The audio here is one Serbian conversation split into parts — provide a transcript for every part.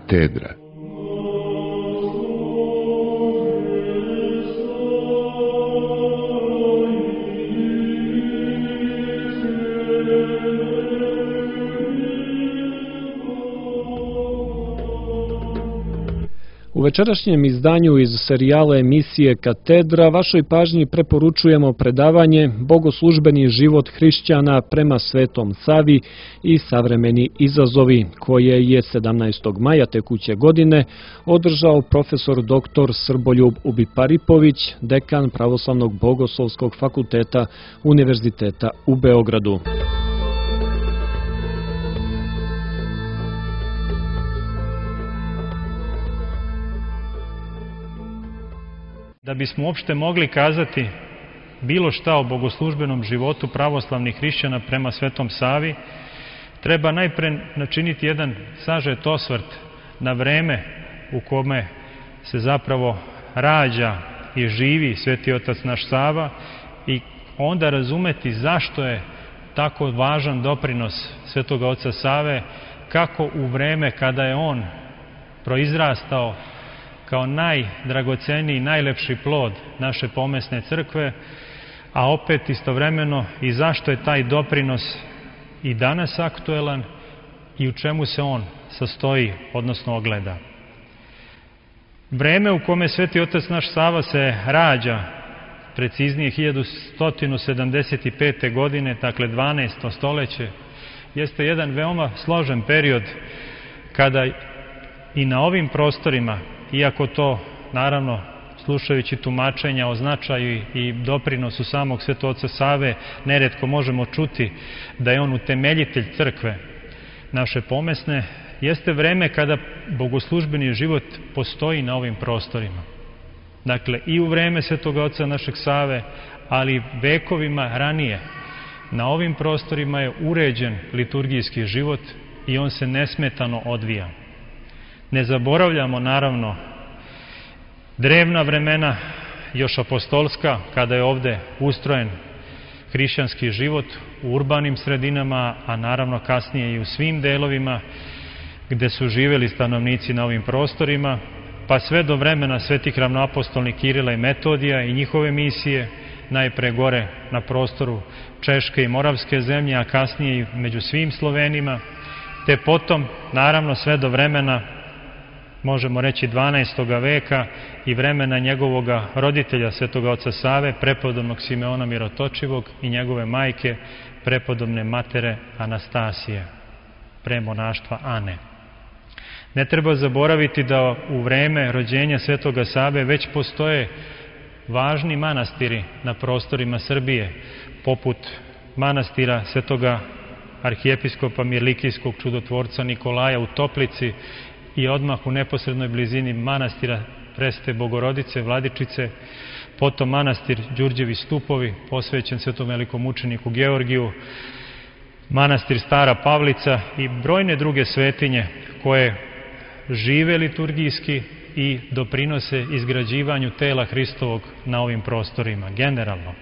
Katedra. U večerašnjem izdanju iz serijala emisije Katedra vašoj pažnji preporučujemo predavanje Bogoslužbeni život hrišćana prema Svetom Savi i savremeni izazovi, koje je 17. maja tekuće godine održao profesor dr. Srboljub Ubiparipović, dekan Pravoslavnog bogoslovskog fakulteta Univerziteta u Beogradu. Da bismo uopšte mogli kazati bilo šta o bogoslužbenom životu pravoslavnih hrišćana prema Svetom Savi, treba najpre načiniti jedan sažet osvrt na vreme u kome se zapravo rađa i živi Sveti Otac naš Sava i onda razumeti zašto je tako važan doprinos Svetoga Oca Save, kako u vreme kada je on proizrastao kao najdragoceniji, najlepši plod naše pomesne crkve, a opet istovremeno i zašto je taj doprinos i danas aktuelan i u čemu se on sastoji, odnosno ogleda. Vreme u kome Sveti Otac naš Sava se rađa, preciznije 1175. godine, dakle 12. stoljeće, jeste jedan veoma složen period kada i na ovim prostorima, iako to, naravno, slušajući tumačenja o značaju i doprinosu samog Svetog Oca Save, neretko možemo čuti da je on utemeljitelj crkve naše pomesne, jeste vreme kada bogoslužbeni život postoji na ovim prostorima. Dakle, i u vreme Svetoga Oca našeg Save, ali vekovima ranije, na ovim prostorima je uređen liturgijski život i on se nesmetano odvija. Ne zaboravljamo, naravno, drevna vremena, još apostolska, kada je ovde ustrojen hrišćanski život u urbanim sredinama, a naravno kasnije i u svim delovima gde su živeli stanovnici na ovim prostorima, pa sve do vremena svetih ravnoapostolnih Kirila i Metodija i njihove misije, najpre gore na prostoru Češke i Moravske zemlje, a kasnije i među svim Slovenima, te potom, naravno, sve do vremena, možemo reći 12. veka i vremena njegovoga roditelja Svetoga Oca Save, prepodobnog Simeona Mirotočivog i njegove majke, prepodobne matere Anastasije, premonaštva Ane. Ne treba zaboraviti da u vreme rođenja Svetoga Save već postoje važni manastiri na prostorima Srbije, poput manastira Svetoga arhijepiskopa Mirlikijskog čudotvorca Nikolaja u Toplici i odmah u neposrednoj blizini manastira Presvete Bogorodice, Vladičice, potom manastir Đurđevi Stupovi, posvećen svetom velikom mučeniku Georgiju, manastir Stara Pavlica i brojne druge svetinje koje žive liturgijski i doprinose izgrađivanju tela Hristovog na ovim prostorima, generalno.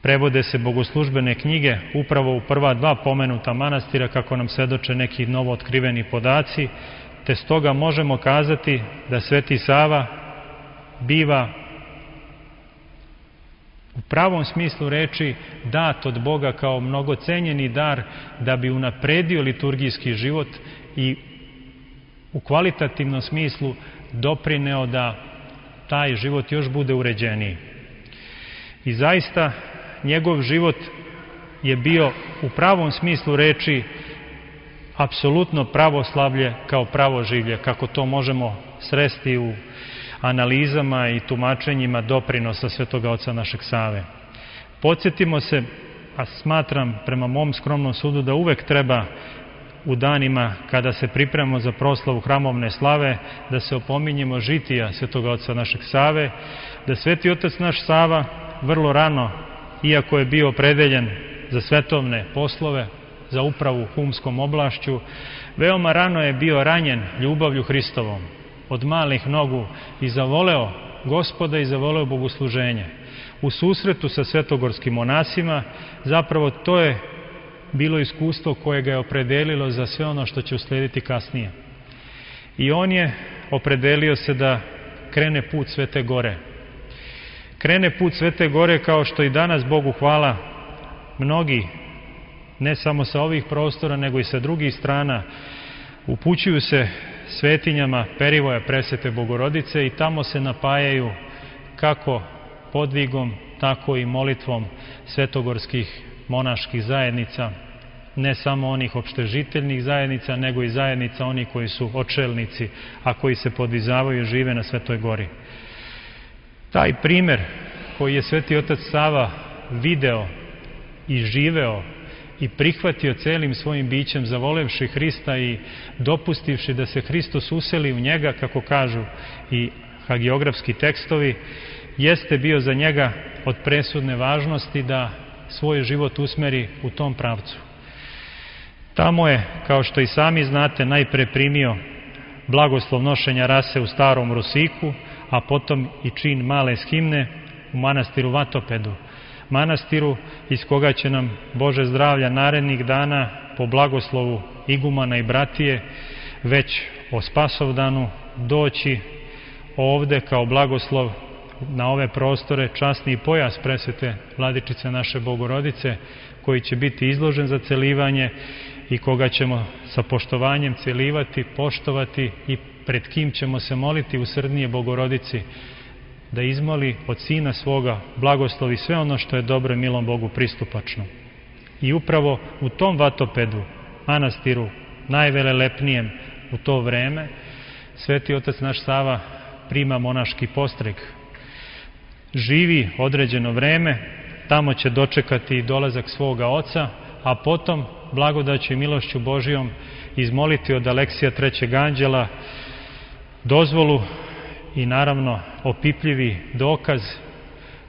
Prevode se bogoslužbene knjige upravo u prva dva pomenuta manastira, kako nam svedoče neki novo otkriveni podaci, te stoga možemo kazati da Sveti Sava biva u pravom smislu reči dat od Boga kao mnogocenjeni dar da bi unapredio liturgijski život i u kvalitativnom smislu doprineo da taj život još bude uređeniji. I zaista njegov život je bio u pravom smislu reči apsolutno pravoslavlje kao pravoživlje, kako to možemo sresti u analizama i tumačenjima doprinosa Svetoga Oca našeg Save. Podsjetimo se, a smatram prema mom skromnom sudu da uvek treba u danima kada se pripremamo za proslavu hramovne slave, da se opominjemo žitija Svetoga Oca našeg Save, da Sveti Otac naš Sava vrlo rano, iako je bio opredeljen za svetovne poslove, za upravu humskom oblašću, veoma rano je bio ranjen ljubavlju Hristovom, od malih nogu, i zavoleo Gospoda i zavoleo bogosluženje. U susretu sa svetogorskim monasima, zapravo to je bilo iskustvo koje ga je opredelilo za sve ono što će uslijediti kasnije. I on je opredelio se da krene put Svete Gore. Krene put Svete Gore kao što i danas, Bogu hvala, mnogi, ne samo sa ovih prostora, nego i sa drugih strana, upućuju se svetinjama Perivoja Presvete Bogorodice i tamo se napajaju kako podvigom, tako i molitvom svetogorskih monaških zajednica, ne samo onih opštežiteljnih zajednica, nego i zajednica oni koji su očelnici, a koji se podvizavaju i žive na Svetoj Gori. Taj primer koji je Sveti Otac Sava video i živeo i prihvatio celim svojim bićem, zavolevši Hrista i dopustivši da se Hristos useli u njega, kako kažu i hagiografski tekstovi, jeste bio za njega od presudne važnosti da svoj život usmeri u tom pravcu. Tamo je, kao što i sami znate, najpre primio blagoslov nošenja rase u Starom Rosiku, a potom i čin male shimne u manastiru Vatopedu, manastiru iz koga će nam, Bože zdravlja, narednih dana po blagoslovu igumana i bratije već o Spasovdanu doći ovde kao blagoslov na ove prostore časni pojas presvete Vladičice naše Bogorodice, koji će biti izložen za celivanje i koga ćemo sa poštovanjem celivati, poštovati i pred kim ćemo se moliti usrdnije Bogorodici da izmoli od Sina svoga blagoslovi sve ono što je dobro i milom Bogu pristupačno. I upravo u tom Vatopedu, manastiru najvelelepnijem u to vreme, Sveti Otac naš Sava prima monaški postreg. Živi određeno vreme, tamo će dočekati dolazak svoga oca, a potom blagodaću i milošću Božijom izmoliti od Aleksija III. Anđela dozvolu i naravno opipljivi dokaz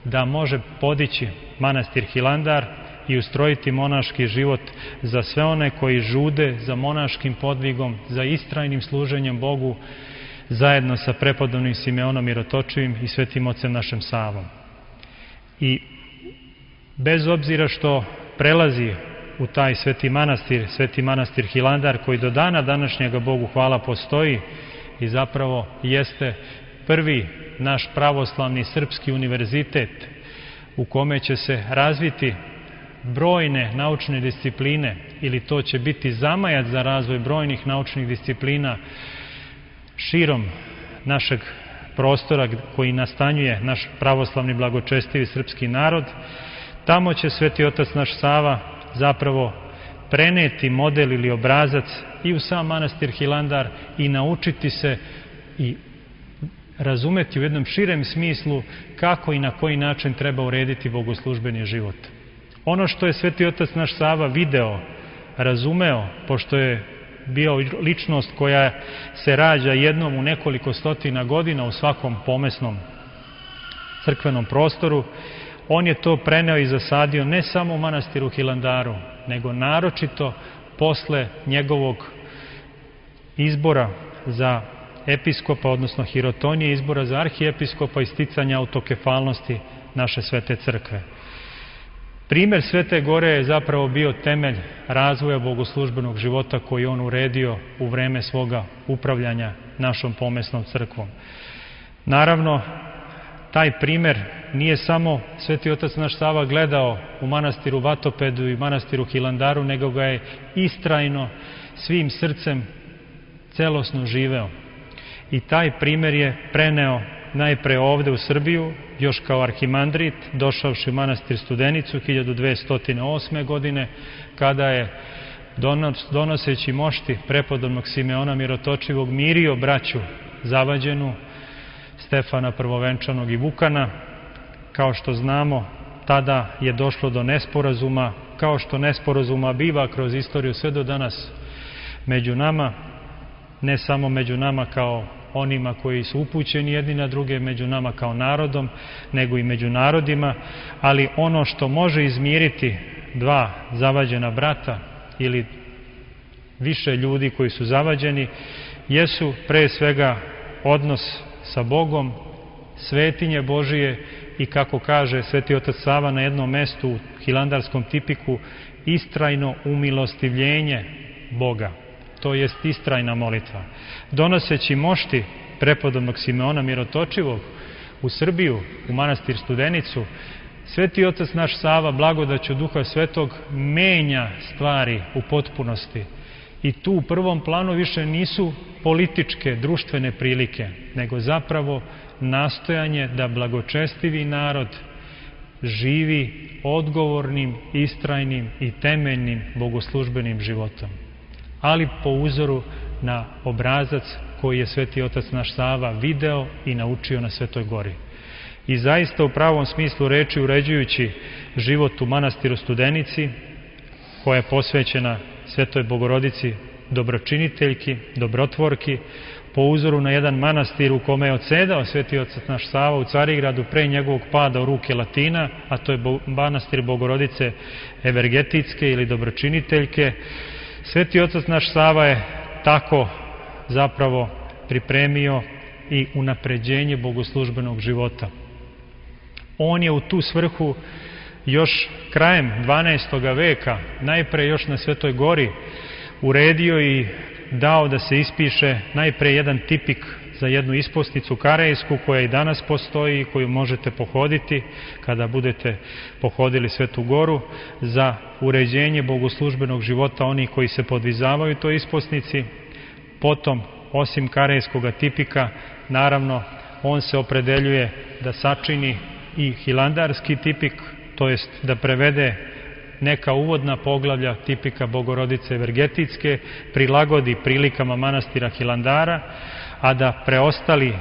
da može podići manastir Hilandar i ustrojiti monaški život za sve one koji žude za monaškim podvigom, za istrajnim služenjem Bogu, zajedno sa prepodobnim Simeonom Mirotočivim i Svetim Ocem našem Savom. I bez obzira što prelazi u taj sveti manastir Hilandar, koji do dana današnjega, Bogu hvala, postoji i zapravo jeste prvi naš pravoslavni srpski univerzitet u kome će se razviti brojne naučne discipline, ili to će biti zamajac za razvoj brojnih naučnih disciplina širom našeg prostora koji nastanjuje naš pravoslavni blagočestivi srpski narod. Tamo će Sveti Otac naš Sava zapravo preneti model ili obrazac i u sam manastir Hilandar i naučiti se i razumeti u jednom širem smislu kako i na koji način treba urediti bogoslužbeni život. Ono što je Sveti Otac naš Sava video, razumeo, pošto je bio ličnost koja se rađa jednom u nekoliko stotina godina u svakom pomesnom crkvenom prostoru, on je to preneo i zasadio ne samo u manastiru Hilandaru, nego naročito posle njegovog izbora za episkopa, odnosno hirotonije, izbora za arhiepiskopa i sticanja autokefalnosti naše Svete Crkve. Primer Svete Gore je zapravo bio temelj razvoja bogoslužbenog života koji on uredio u vreme svoga upravljanja našom pomesnom crkvom. Naravno, taj primer nije samo Sveti Otac naš Sava gledao u manastiru Vatopedu i manastiru Hilandaru, nego ga je istrajno svim srcem celosno živeo. I taj primer je preneo najpre ovde u Srbiju, još kao arhimandrit, došavši u manastir Studenicu 1208. godine, kada je donoseći mošti prepodobnog Simeona Mirotočivog mirio braću Zavađenu, Stefana Prvovenčanog i Vukana. Kao što znamo, tada je došlo do nesporazuma, kao što nesporazuma biva kroz istoriju sve do danas među nama, ne samo među nama kao onima koji su upućeni jedni na druge, među nama kao narodom, nego i među narodima, ali ono što može izmiriti dva zavađena brata ili više ljudi koji su zavađeni, jesu pre svega odnos sa Bogom, svetinje Božije i, kako kaže Sveti Otac Sava na jednom mestu u Hilandarskom tipiku, istrajno umilostivljenje Boga, to jest istrajna molitva. Donoseći mošti prepodobnog Simeona Mirotočivog u Srbiju, u manastir Studenicu, Sveti otac naš Sava, blagodaću Duha Svetog, menja stvari u potpunosti. I tu u prvom planu više nisu političke, društvene prilike, nego zapravo nastojanje da blagočestivi narod živi odgovornim, istrajnim i temeljnim bogoslužbenim životom. Ali po uzoru na obrazac koji je Sveti otac naš Sava video i naučio na Svetoj gori. I zaista u pravom smislu reči, uređujući život u manastiru Studenici, koja je posvećena Svetoj Bogorodici, dobročiniteljki, dobrotvorki, po uzoru na jedan manastir u kome je odsedao Sveti otac naš Sava u Carigradu pre njegovog pada u ruke Latina, a to je manastir Bogorodice Evergetitske ili dobročiniteljke. Sveti otac naš Sava je tako zapravo pripremio i unapređenje bogoslužbenog života. On je u tu svrhu još krajem 12. veka, najpre još na Svetoj gori, uredio i dao da se ispiše najpre jedan tipik za jednu isposnicu karejsku koja i danas postoji i koju možete pohoditi kada budete pohodili Svetu goru, za uređenje bogoslužbenog života onih koji se podvizavaju toj isposnici. Potom, osim karejskoga tipika, naravno, on se opredeljuje da sačini i hilandarski tipik, to jest da prevede neka uvodna poglavlja tipika Bogorodice Evergetitske, prilagodi prilikama manastira Hilandara, a da preostali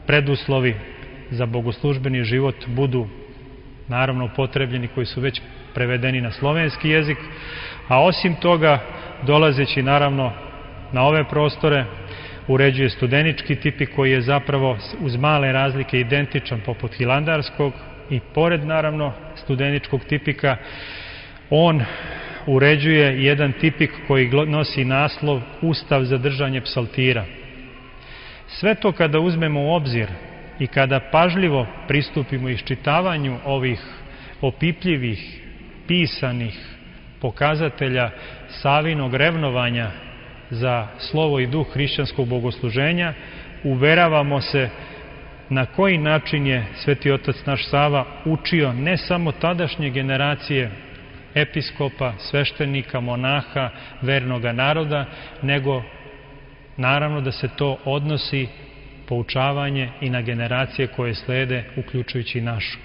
preduslovi za bogoslužbeni život budu naravno upotrebljeni, koji su već prevedeni na slovenski jezik, a osim toga, dolazeći naravno na ove prostore, uređuje studenički tipik koji je zapravo uz male razlike identičan poput hilandarskog, i pored naravno studeničkog tipika on uređuje jedan tipik koji nosi naslov Ustav za držanje psaltira. Sve to kada uzmemo u obzir i kada pažljivo pristupimo iščitavanju ovih opipljivih, pisanih pokazatelja Savinog revnovanja za slovo i duh hrišćanskog bogosluženja, uveravamo se na koji način je Sveti otac naš Sava učio ne samo tadašnje generacije episkopa, sveštenika, monaha, vernoga naroda, nego naravno da se to odnosi poučavanje i na generacije koje slede, uključujući i našu.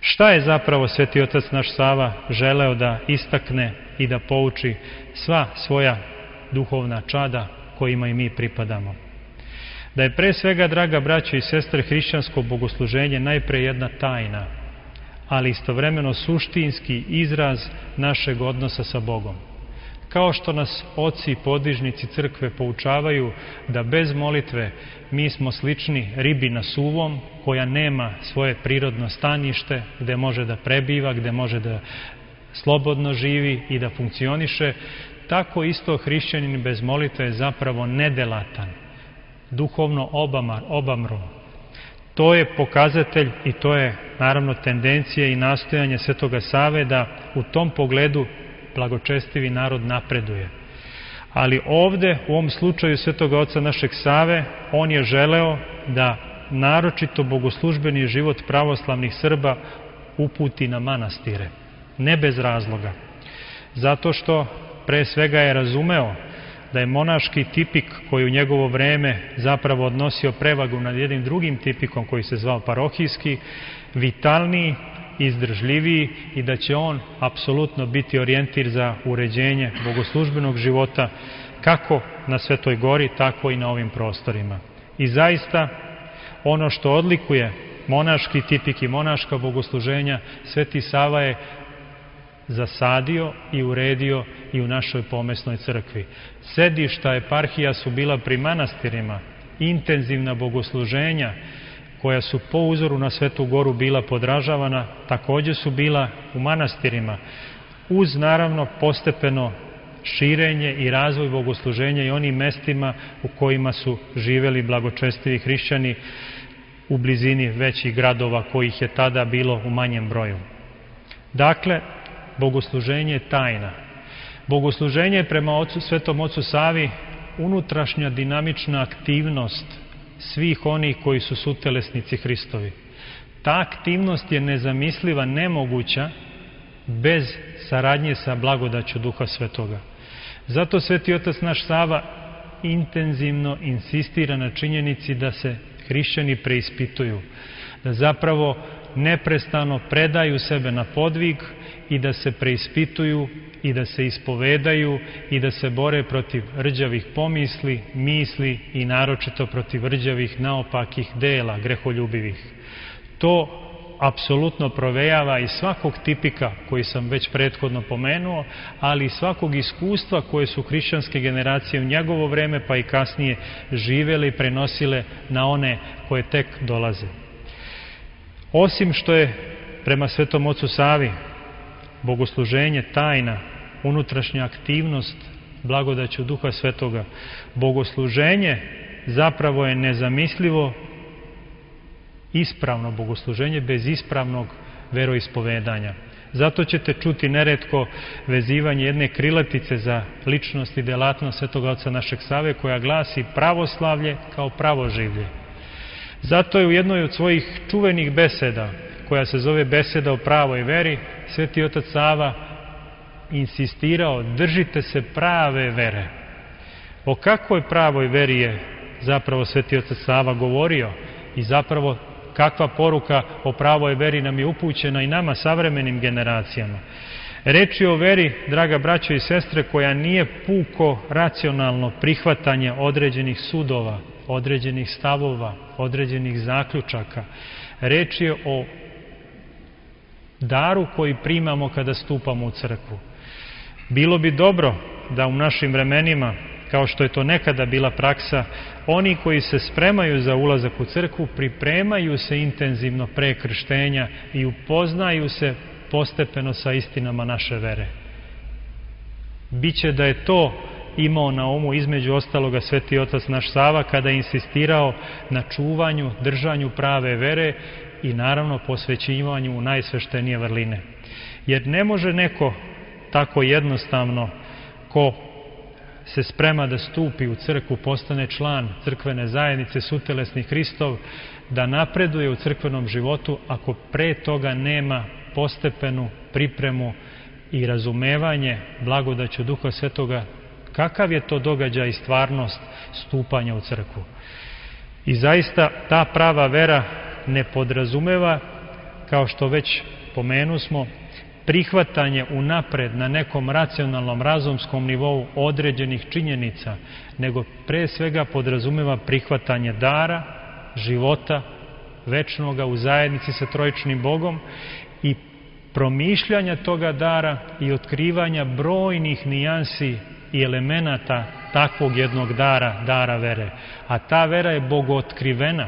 Šta je zapravo Sveti otac naš Sava želeo da istakne i da pouči sva svoja duhovna čada kojima i mi pripadamo? Da je pre svega, draga braćo i sestre, hrišćansko bogosluženje najpre jedna tajna, ali istovremeno suštinski izraz našeg odnosa sa Bogom. Kao što nas oci i podvižnici crkve poučavaju da bez molitve mi smo slični ribi na suvom, koja nema svoje prirodno stanište gde može da prebiva, gde može da slobodno živi i da funkcioniše, tako isto hrišćanin bez molitve je zapravo nedelatan, duhovno obamro. To je pokazatelj i to je naravno tendencija i nastojanje Svetoga Save da u tom pogledu blagočestivi narod napreduje. Ali ovde, u ovom slučaju Svetoga oca našeg Save, on je želeo da naročito bogoslužbeni život pravoslavnih Srba uputi na manastire. Ne bez razloga. Zato što pre svega je razumeo da je monaški tipik koji u njegovo vreme zapravo odnosio prevagu nad jednim drugim tipikom koji se zvao parohijski, vitalniji, izdržljiviji i da će on apsolutno biti orijentir za uređenje bogoslužbenog života kako na Svetoj gori, tako i na ovim prostorima. I zaista ono što odlikuje monaški tipik i monaška bogosluženja, Sveti Sava je zasadio i uredio i u našoj pomesnoj crkvi. Sedišta eparhija su bila pri manastirima, intenzivna bogosluženja koja su po uzoru na Svetu goru bila podražavana, takođe su bila u manastirima, uz naravno postepeno širenje i razvoj bogosluženja i onim mestima u kojima su živeli blagočestivi hrišćani u blizini većih gradova kojih je tada bilo u manjem broju. Dakle, bogosluženje je tajna. Bogosluženje je prema Svetom ocu Savi unutrašnja dinamična aktivnost svih onih koji su sutelesnici Hristovi. Ta aktivnost je nezamisliva, nemoguća bez saradnje sa blagodaću Duha Svetoga. Zato Sveti otac naš Sava intenzivno insistira na činjenici da se hrišćani preispituju, da zapravo neprestano predaju sebe na podvig i da se preispituju i da se ispovedaju i da se bore protiv rđavih pomisli, misli i naročito protiv rđavih naopakih dela, greholjubivih. To apsolutno provejava iz svakog tipika koji sam već prethodno pomenuo, ali i svakog iskustva koje su hrišćanske generacije u njegovo vreme pa i kasnije živele i prenosile na one koje tek dolaze. Osim što je prema Svetom ocu Savi bogosluženje tajna, unutrašnja aktivnost blagodaću Duha Svetoga, bogosluženje zapravo je nezamislivo ispravno bogosluženje bez ispravnog veroispovedanja. Zato ćete čuti neretko vezivanje jedne krilatice za ličnost i delatnost Svetoga oca našeg Save koja glasi pravoslavlje kao pravoživlje. Zato je u jednoj od svojih čuvenih beseda, koja se zove Beseda o pravoj veri, Sveti otac Sava insistirao: držite se prave vere. O kakvoj pravoj veri je zapravo Sveti otac Sava govorio i zapravo kakva poruka o pravoj veri nam je upućena i nama, savremenim generacijama. Reč je o veri, draga braćo i sestre, koja nije puko racionalno prihvatanje određenih sudova, određenih stavova, određenih zaključaka. Reč je o daru koji primamo kada stupamo u crkvu. Bilo bi dobro da u našim vremenima, kao što je to nekada bila praksa, oni koji se spremaju za ulazak u crkvu pripremaju se intenzivno pre krštenja i upoznaju se postepeno sa istinama naše vere. Biće da je to imao na umu između ostaloga Sveti otac naš Sava kada je insistirao na čuvanju, držanju prave vere i naravno posvećivanju u najsveštenije vrline. Jer ne može neko tako jednostavno, ko se sprema da stupi u crkvu, postane član crkvene zajednice sutelesni Hristov, da napreduje u crkvenom životu ako pre toga nema postepenu pripremu i razumevanje blagodaću Duha Svetoga, kakav je to događaj i stvarnost stupanja u crkvu. I zaista ta prava vera ne podrazumeva, kao što već pomenusmo, prihvatanje unapred na nekom racionalnom, razumskom nivou određenih činjenica, nego pre svega podrazumeva prihvatanje dara, života, večnoga u zajednici sa trojičnim Bogom i promišljanja toga dara i otkrivanja brojnih nijansi i elemenata takvog jednog dara, dara vere. A ta vera je bogootkrivena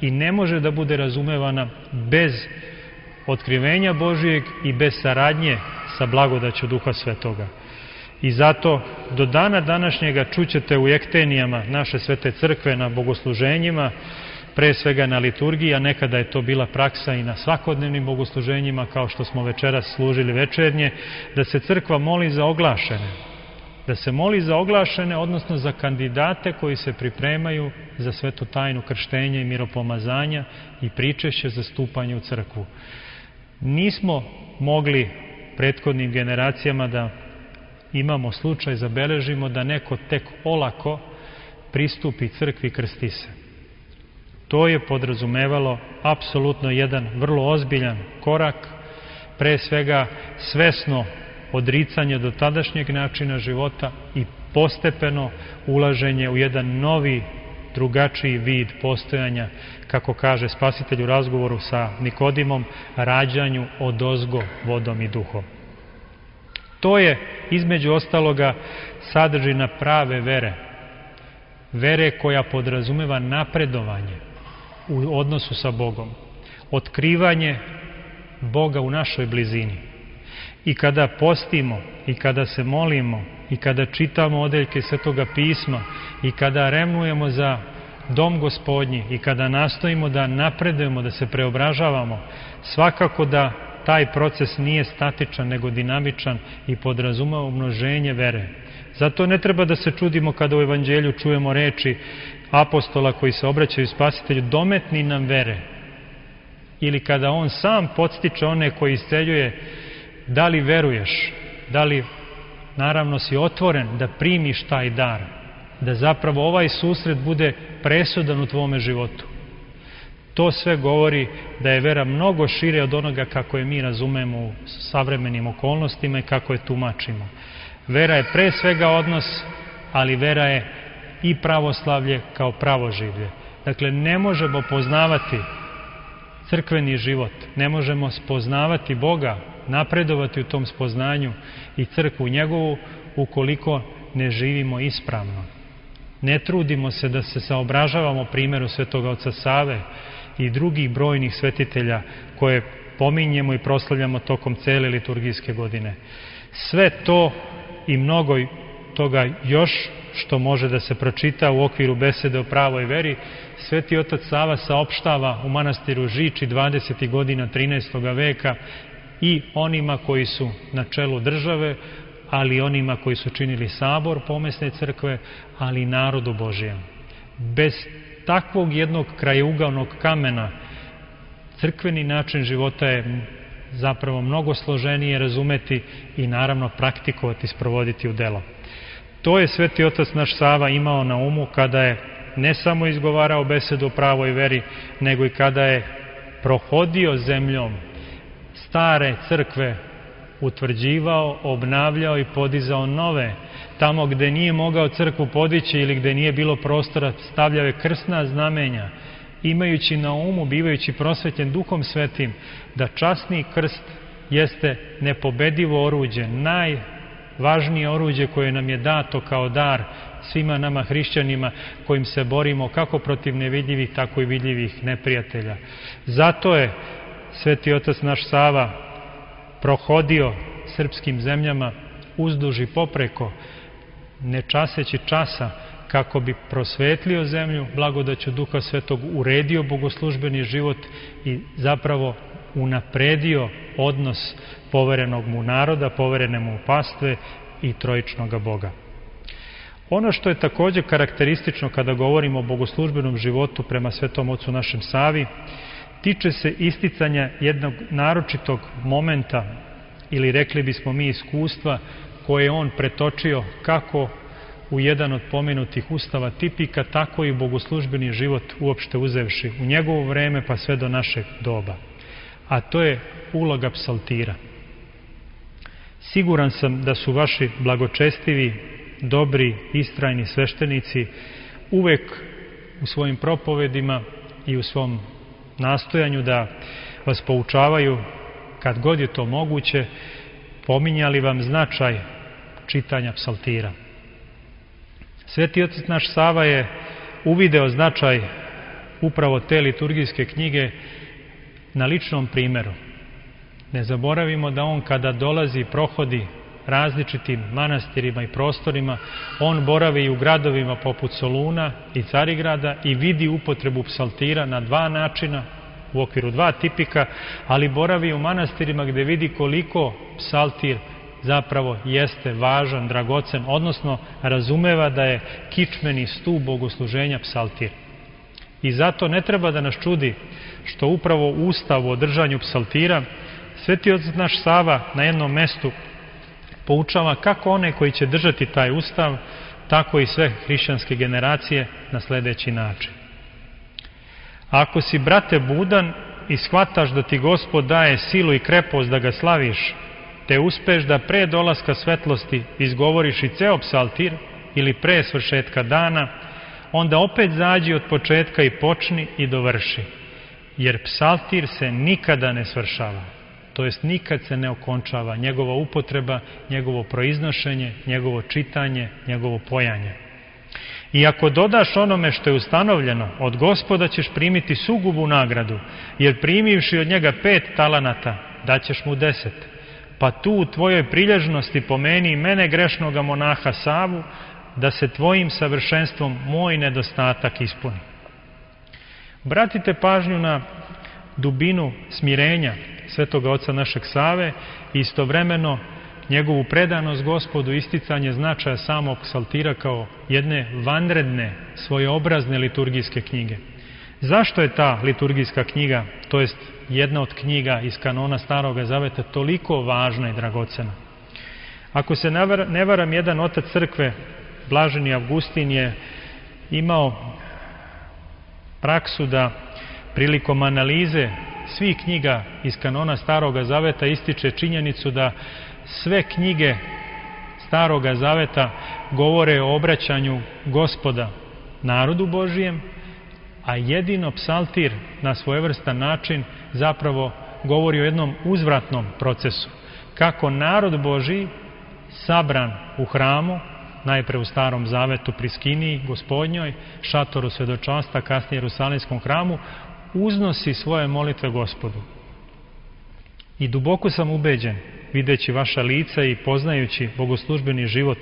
i ne može da bude razumevana bez otkrivenja Božijeg i bez saradnje sa blagodaću Duha Svetoga. I zato do dana današnjega čućete u ektenijama naše Svete Crkve na bogosluženjima, pre svega na liturgiji, a nekada je to bila praksa i na svakodnevnim bogosluženjima, kao što smo večeras služili večernje, da se crkva moli za oglašene. Da se moli za oglašene, odnosno za kandidate koji se pripremaju za svetu tajnu krštenja i miropomazanja i pričešće za stupanje u crkvu. Nismo mogli prethodnim generacijama da imamo slučaj, zabeležimo da neko tek olako pristupi crkvi i krsti se. To je podrazumevalo apsolutno jedan vrlo ozbiljan korak, pre svega svesno odricanje do tadašnjeg načina života i postepeno ulaženje u jedan novi, drugačiji vid postojanja, kako kaže Spasitelj u razgovoru sa Nikodimom, rađanju odozgo vodom i duhom. To je, između ostaloga, sadržina prave vere. Vere koja podrazumeva napredovanje u odnosu sa Bogom. Otkrivanje Boga u našoj blizini. I kada postimo, i kada se molimo, i kada čitamo odeljke Svetoga pisma, i kada revnujemo za dom Gospodnji, i kada nastojimo da napredujemo, da se preobražavamo, svakako da taj proces nije statičan nego dinamičan i podrazumeva umnoženje vere. Zato ne treba da se čudimo kada u evanđelju čujemo reči apostola koji se obraćaju Spasitelju, dometni nam vere. Ili kada on sam podstiče one koji isceljuje, da li veruješ, da li naravno si otvoren da primiš taj dar, da zapravo ovaj susret bude presudan u tvome životu. To sve govori da je vera mnogo šire od onoga kako je mi razumemo u savremenim okolnostima i kako je tumačimo. Vera je pre svega odnos, ali vera je i pravoslavlje kao pravoživlje. Dakle, ne možemo poznavati crkveni život, ne možemo spoznavati Boga, napredovati u tom spoznanju i crkvu njegovu ukoliko ne živimo ispravno. Ne trudimo se da se saobražavamo primjeru Svetog oca Save i drugih brojnih svetitelja koje pominjemo i proslavljamo tokom cele liturgijske godine. Sve to i mnogo toga još što može da se pročita u okviru besede o pravoj veri, Sveti otac Sava saopštava u manastiru Žiči 20. godina 13. veka i onima koji su na čelu države, ali i onima koji su činili sabor pomesne crkve, ali i narodu Božijem. Bez takvog jednog krajeugalnog kamena crkveni način života je zapravo mnogo složenije razumeti i naravno praktikovati, sprovoditi u delo. To je Sveti otac naš Sava imao na umu kada je ne samo izgovarao besedu o pravoj veri, nego i kada je prohodio zemljom stare crkve, utvrđivao, obnavljao i podizao nove. Tamo gde nije mogao crkvu podići ili gde nije bilo prostora, stavljao je krstna znamenja, imajući na umu, bivajući prosvetljen Duhom Svetim, da časni krst jeste nepobedivo oruđe, najvažnije oruđe koje nam je dato kao dar svima nama hrišćanima kojim se borimo kako protiv nevidljivih, tako i vidljivih neprijatelja. Zato je Sveti otac naš Sava prohodio srpskim zemljama uzduž i popreko, ne časeći časa, kako bi prosvetlio zemlju, blagodaću Duha Svetog uredio bogoslužbeni život i zapravo unapredio odnos poverenog mu naroda, poverene mu pastve i trojičnoga Boga. Ono što je također karakteristično kada govorimo o bogoslužbenom životu prema Svetom ocu našem Savi, tiče se isticanja jednog naročitog momenta, ili rekli bismo mi iskustva, koje je on pretočio kako u jedan od pomenutih ustava tipika, tako i bogoslužbeni život uopšte uzevši u njegovo vreme pa sve do našeg doba. A to je uloga psaltira. Siguran sam da su vaši blagočestivi, dobri, istrajni sveštenici uvek u svojim propovedima i u svom nastojanju da vas poučavaju, kad god je to moguće, pominjali vam značaj čitanja psaltira. Sveti otac naš Sava je uvideo značaj upravo te liturgijske knjige na ličnom primjeru. Ne zaboravimo da on kada dolazi i prohodi različitim manastirima i prostorima, on boravi i u gradovima poput Soluna i Carigrada i vidi upotrebu psaltira na dva načina, u okviru dva tipika, ali boravi i u manastirima gde vidi koliko psaltir zapravo jeste važan, dragocen, odnosno razumeva da je kičmeni stub bogosluženja psaltir. I zato ne treba da nas čudi što upravo u Ustavu o držanju psaltira Sveti otac naš Sava na jednom mestu poučava kako one koji će držati taj Ustav, tako i sve hrišćanske generacije na sledeći način. Ako si, brate, budan i shvataš da ti Gospod daje silu i krepost da ga slaviš, te uspeš da pre dolaska svetlosti izgovoriš i ceo psaltir ili pre svršetka dana, onda opet zađi od početka i počni i dovrši. Jer psaltir se nikada ne svršava, to jest nikad se ne okončava njegova upotreba, njegovo proiznošenje, njegovo čitanje, njegovo pojanje. I ako dodaš onome što je ustanovljeno, od Gospoda ćeš primiti sugubu nagradu, jer primivši od njega 5 talanata, daćeš mu 10. Pa tu u tvojoj prilježnosti pomeni mene grešnoga monaha Savu, da se tvojim savršenstvom moj nedostatak ispuni. Obratite pažnju na dubinu smirenja svetoga oca našeg Save i istovremeno njegovu predanost Gospodu, isticanje značaja samog psaltira kao jedne vanredne, svojeobrazne liturgijske knjige. Zašto je ta liturgijska knjiga, to jest jedna od knjiga iz kanona Staroga Zaveta, toliko važna i dragocena? Ako se ne varam, jedan otac crkve, Blaženi Avgustin, je imao praksu da prilikom analize svih knjiga iz kanona Staroga Zaveta ističe činjenicu da sve knjige Staroga Zaveta govore o obraćanju Gospoda narodu Božijem, a jedino psaltir na svojevrstan način zapravo govori o jednom uzvratnom procesu. Kako narod Božiji, sabran u hramu, najpre u Starom Zavetu pri Skiniji Gospodnjoj, šatoru svedočanstva, kasnije Jerusalimskom hramu, uznosi svoje molitve Gospodu. I duboko sam ubeđen, videći vaša lica i poznajući bogoslužbeni život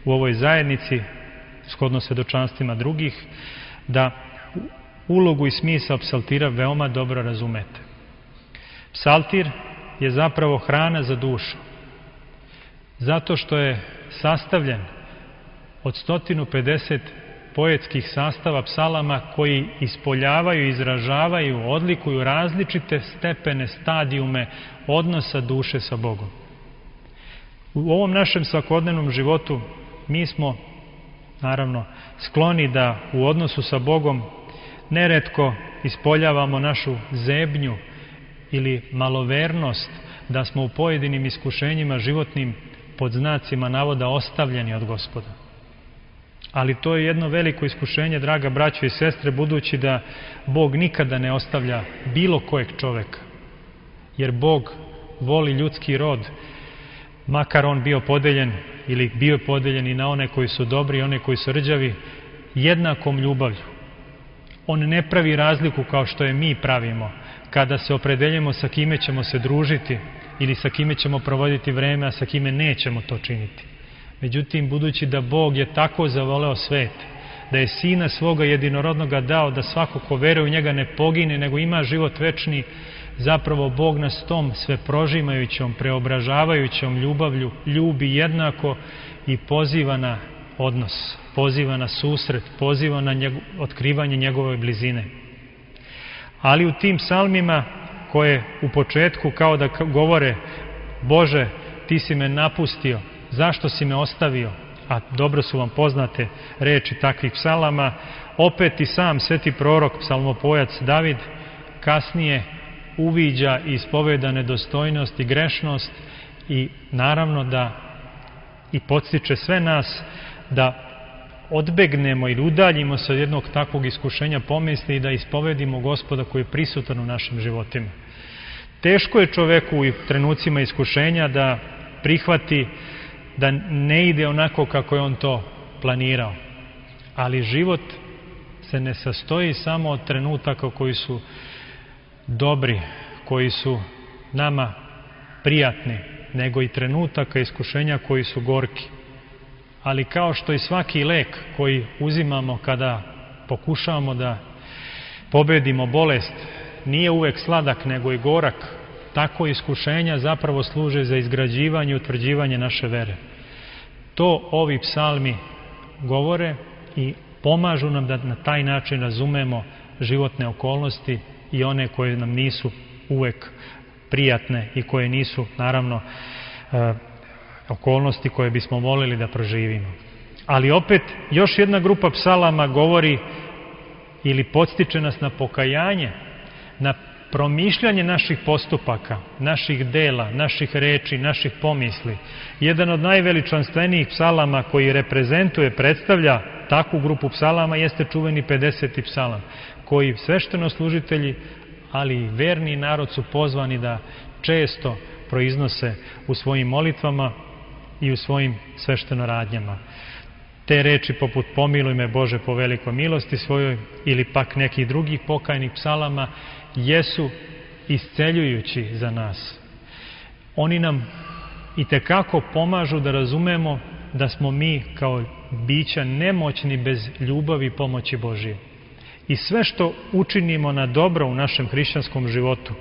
u ovoj zajednici, shodno svedočanstvima drugih, da ulogu i smisao psaltira veoma dobro razumete. Psaltir je zapravo hrana za dušu, zato što je sastavljen od 150 poetskih sastava psalama koji ispoljavaju, izražavaju, odlikuju različite stepene, stadijume odnosa duše sa Bogom. U ovom našem svakodnevnom životu mi smo, naravno, skloni da u odnosu sa Bogom neretko ispoljavamo našu zebnju ili malovernost, da smo u pojedinim iskušenjima životnim pod znacima navoda ostavljeni od Gospoda. Ali to je jedno veliko iskušenje, draga braćo i sestre, budući da Bog nikada ne ostavlja bilo kojeg čoveka. Jer Bog voli ljudski rod, makar on bio podeljen ili bio je podeljen i na one koji su dobri i one koji su rđavi, jednakom ljubavlju. On ne pravi razliku kao što je mi pravimo, kada se opredeljujemo sa kime ćemo se družiti ili sa kime ćemo provoditi vreme, a sa kime nećemo to činiti. Međutim, budući da Bog je tako zavoleo svet, da je Sina svoga jedinorodnoga dao da svako ko veruje u njega ne pogine, nego ima život večni, zapravo Bog nas tom sve prožimajućom, preobražavajućom ljubavlju ljubi jednako i poziva na odnos, poziva na susret, poziva na otkrivanje njegove blizine. Ali u tim psalmima koje u početku kao da govore: Bože, ti si me napustio, zašto si me ostavio? A dobro su vam poznate reči takvih psalama. Opet i sam sveti prorok, psalmopojac David, kasnije uviđa i ispoveda nedostojnost i grešnost i naravno da i podstiče sve nas da odbegnemo ili udaljimo se od jednog takvog iskušenja pomisli i da ispovedimo Gospoda koji je prisutan u našim životima. Teško je čoveku u trenucima iskušenja da prihvati da ne ide onako kako je on to planirao. Ali život se ne sastoji samo od trenutaka koji su dobri, koji su nama prijatni, nego i trenutaka iskušenja koji su gorki. Ali kao što i svaki lek koji uzimamo kada pokušavamo da pobedimo bolest nije uvek sladak nego i gorak, tako iskušenja zapravo služe za izgrađivanje i utvrđivanje naše vere. To ovi psalmi govore i pomažu nam da na taj način razumemo životne okolnosti i one koje nam nisu uvek prijatne i koje nisu, naravno, okolnosti koje bismo volili da proživimo. Ali opet, još jedna grupa psalama govori ili podstiče nas na pokajanje, na promišljanje naših postupaka, naših dela, naših reči, naših pomisli. Jedan od najveličanstvenijih psalama koji reprezentuje, predstavlja takvu grupu psalama jeste čuveni 50. psalam, koji sveštenoslужitelji, ali i verni narod su pozvani da često proiznose u svojim molitvama i u svojim sveštenoradnjama. Te reči poput pomiluj me Bože po velikoj milosti svojoj ili pak nekih drugih pokajnih psalama jesu isceljujući za nas. Oni nam itekako pomažu da razumemo da smo mi kao bića nemoćni bez ljubavi i pomoći Božije. I sve što učinimo na dobro u našem hrišćanskom životu,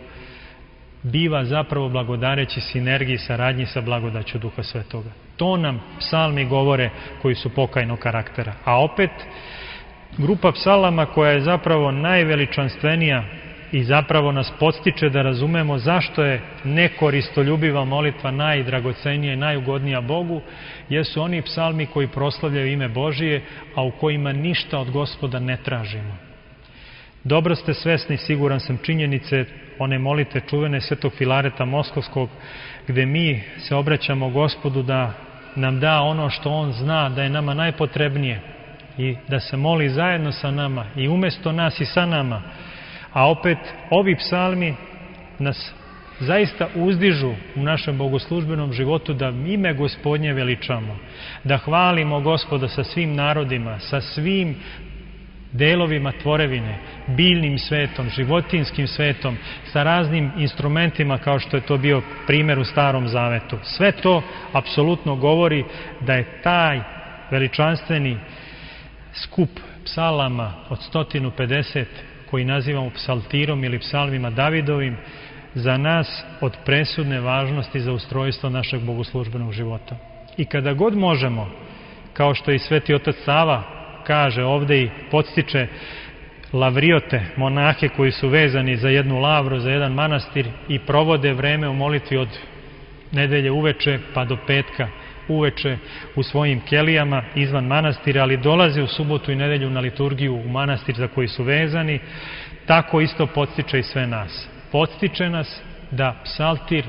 biva zapravo blagodareći sinergiji, saradnji sa blagodaću Duha Svetoga. To nam psalmi govore koji su pokajnog karaktera. A opet, grupa psalama koja je zapravo najveličanstvenija i zapravo nas podstiče da razumemo zašto je nekoristoljubiva molitva najdragocenija i najugodnija Bogu, jesu oni psalmi koji proslavljaju ime Božije, a u kojima ništa od Gospoda ne tražimo. Dobro ste svesni, siguran sam, činjenice one molitve čuvene Svetog Filareta Moskovskog, gde mi se obraćamo Gospodu da nam da ono što On zna da je nama najpotrebnije i da se moli zajedno sa nama i umjesto nas i sa nama. A opet, ovi psalmi nas zaista uzdižu u našem bogoslužbenom životu da ime Gospodnje veličamo, da hvalimo Gospoda sa svim narodima, sa svim delovima tvorevine, biljnim svetom, životinskim svetom, sa raznim instrumentima kao što je to bio primjer u Starom Zavetu. Sve to apsolutno govori da je taj veličanstveni skup psalama od 150 koji nazivamo psaltirom ili psalmima Davidovim za nas od presudne važnosti za ustrojstvo našeg bogoslužbenog života. I kada god možemo, kao što i Sveti Otac Sava kaže ovdje i podstiče lavriote, monahe koji su vezani za jednu lavru, za jedan manastir i provode vreme u molitvi od nedelje uveče pa do petka uveče u svojim kelijama izvan manastira, ali dolaze u subotu i nedelju na liturgiju u manastir za koji su vezani, tako isto podstiče i sve nas. Podstiče nas da psaltir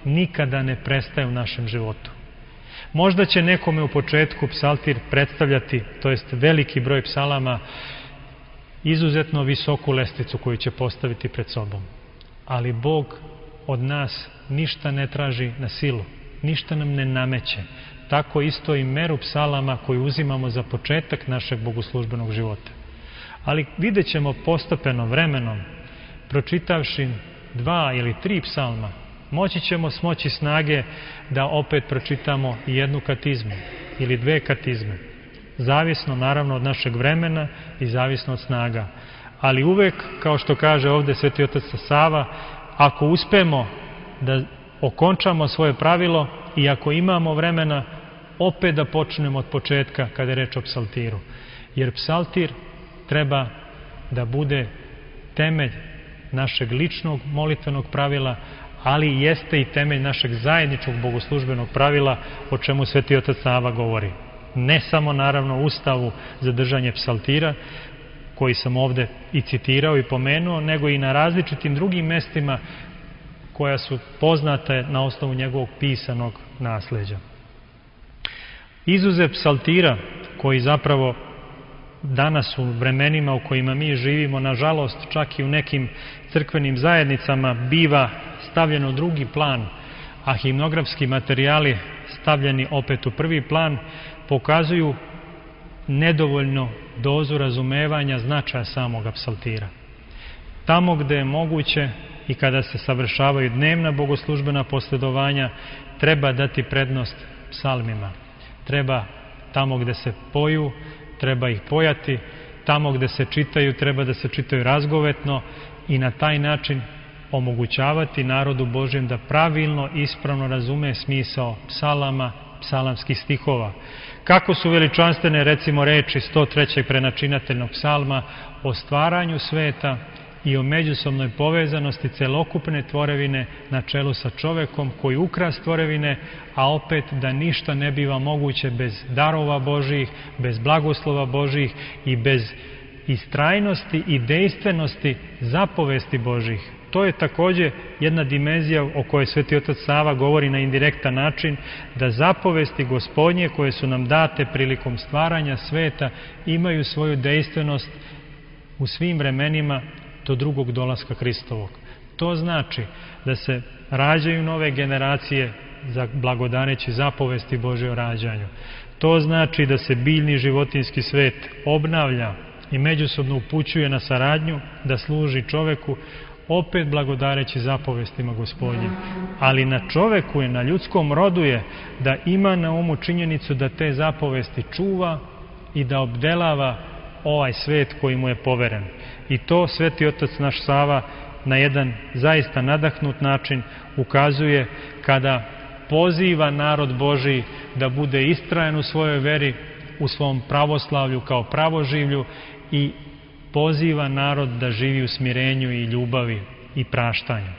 nikada ne prestaje u našem životu. Možda će nekome u početku psaltir predstavljati, to jest veliki broj psalama, izuzetno visoku lestvicu koju će postaviti pred sobom. Ali Bog od nas ništa ne traži na silu, ništa nam ne nameće. Tako isto i meru psalama koju uzimamo za početak našeg bogoslužbenog života. Ali vidjet ćemo postepeno vremenom, pročitavši 2 ili 3 psalma, moći ćemo smoći snage da opet pročitamo i jednu katizmu ili 2 katizme. Zavisno naravno od našeg vremena i zavisno od snaga. Ali uvek, kao što kaže ovdje Sveti Otac Sava, ako uspemo da okončamo svoje pravilo i ako imamo vremena, opet da počnemo od početka kada je reč o psaltiru. Jer psaltir treba da bude temelj našeg ličnog molitvenog pravila, ali jeste i temelj našeg zajedničkog bogoslužbenog pravila, o čemu Sveti Otac Sava govori. Ne samo naravno u Ustavu za držanje psaltira, koji sam ovdje i citirao i pomenuo, nego i na različitim drugim mestima koja su poznate na osnovu njegovog pisanog nasleđa. Izuzev psaltira, koji zapravo danas u vremenima u kojima mi živimo, nažalost čak i u nekim crkvenim zajednicama biva stavljeno u drugi plan, a himnografski materijali stavljeni opet u prvi plan, pokazuju nedovoljno dozu razumevanja značaja samoga psaltira. Tamo gde je moguće i kada se savršavaju dnevna bogoslužbena posledovanja, treba dati prednost psalmima. Treba tamo gde se poju, treba ih pojati, tamo gde se čitaju, treba da se čitaju razgovetno i na taj način omogućavati narodu Božjem da pravilno, ispravno razume smisao psalama, psalamskih stihova. Kako su veličanstvene, recimo, reči 103. prenačinateljnog psalma o stvaranju sveta i o međusobnoj povezanosti celokupne tvorevine na čelu sa čovekom koji ukras tvorevine, a opet da ništa ne biva moguće bez darova Božjih, bez blagoslova Božjih i bez istrajnosti i dejstvenosti zapovesti Božjih. To je također jedna dimenzija o kojoj Sveti Otac Sava govori na indirektan način, da zapovesti Gospodnje koje su nam date prilikom stvaranja sveta imaju svoju dejstvenost u svim vremenima do drugog dolaska Hristovog. To znači da se rađaju nove generacije za blagodareći zapovesti Božje o rađanju. To znači da se biljni životinski svet obnavlja i međusobno upućuje na saradnju, da služi čoveku, opet blagodareći zapovestima Gospodnjim. Ali na čoveku je, na ljudskom rodu je da ima na umu činjenicu da te zapovesti čuva i da obdelava ovaj svet koji mu je poveren. I to Sveti Otac naš Sava na jedan zaista nadahnut način ukazuje kada poziva narod Božiji da bude istrajan u svojoj veri, u svom pravoslavlju kao pravoživlju i poziva narod da živi u smirenju i ljubavi i praštanju.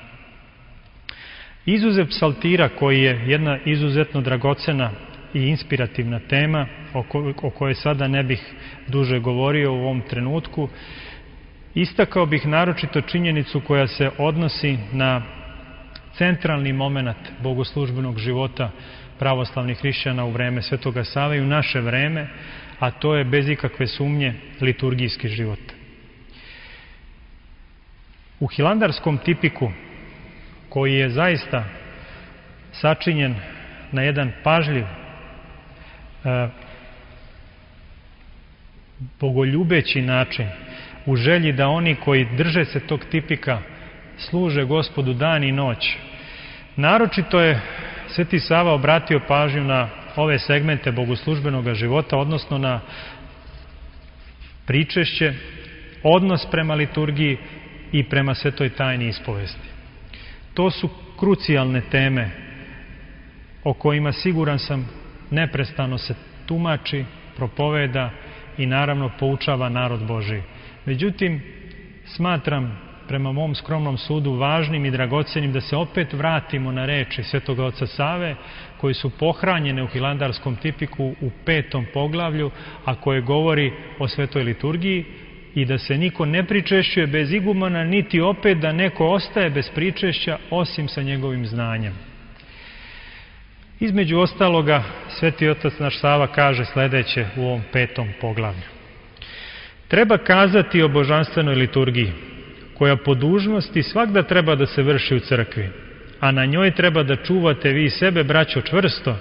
Izuzev psaltira, koji je jedna izuzetno dragocena i inspirativna tema o kojoj sada ne bih duže govorio u ovom trenutku, istakao bih naročito činjenicu koja se odnosi na centralni moment bogoslužbenog života pravoslavnih hrišćana u vreme Svetoga Save i u naše vreme, a to je bez ikakve sumnje liturgijski život. U hilandarskom tipiku, koji je zaista sačinjen na jedan pažljiv, bogoljubeći način, u želji da oni koji drže se tog tipika služe Gospodu dan i noć. Naročito je Sveti Sava obratio pažnju na ove segmente bogoslužbenog života, odnosno na pričešće, odnos prema liturgiji i prema svetoj tajni ispovesti. To su krucijalne teme o kojima, siguran sam, neprestano se tumači, propoveda i naravno poučava narod Božiji. Međutim, smatram, prema mom skromnom sudu, važnim i dragocenim da se opet vratimo na reči Svetoga oca Save, koji su pohranjene u hilandarskom tipiku u 5. poglavlju, a koje govori o svetoj liturgiji, i da se niko ne pričešćuje bez igumana, niti opet da neko ostaje bez pričešća osim sa njegovim znanjem. Između ostaloga, Sveti otac naš Sava kaže sledeće u ovom 5. poglavlju. Treba kazati o božanstvenoj liturgiji, koja po dužnosti svakda treba da se vrši u crkvi, a na njoj treba da čuvate vi sebe, braćo, čvrsto,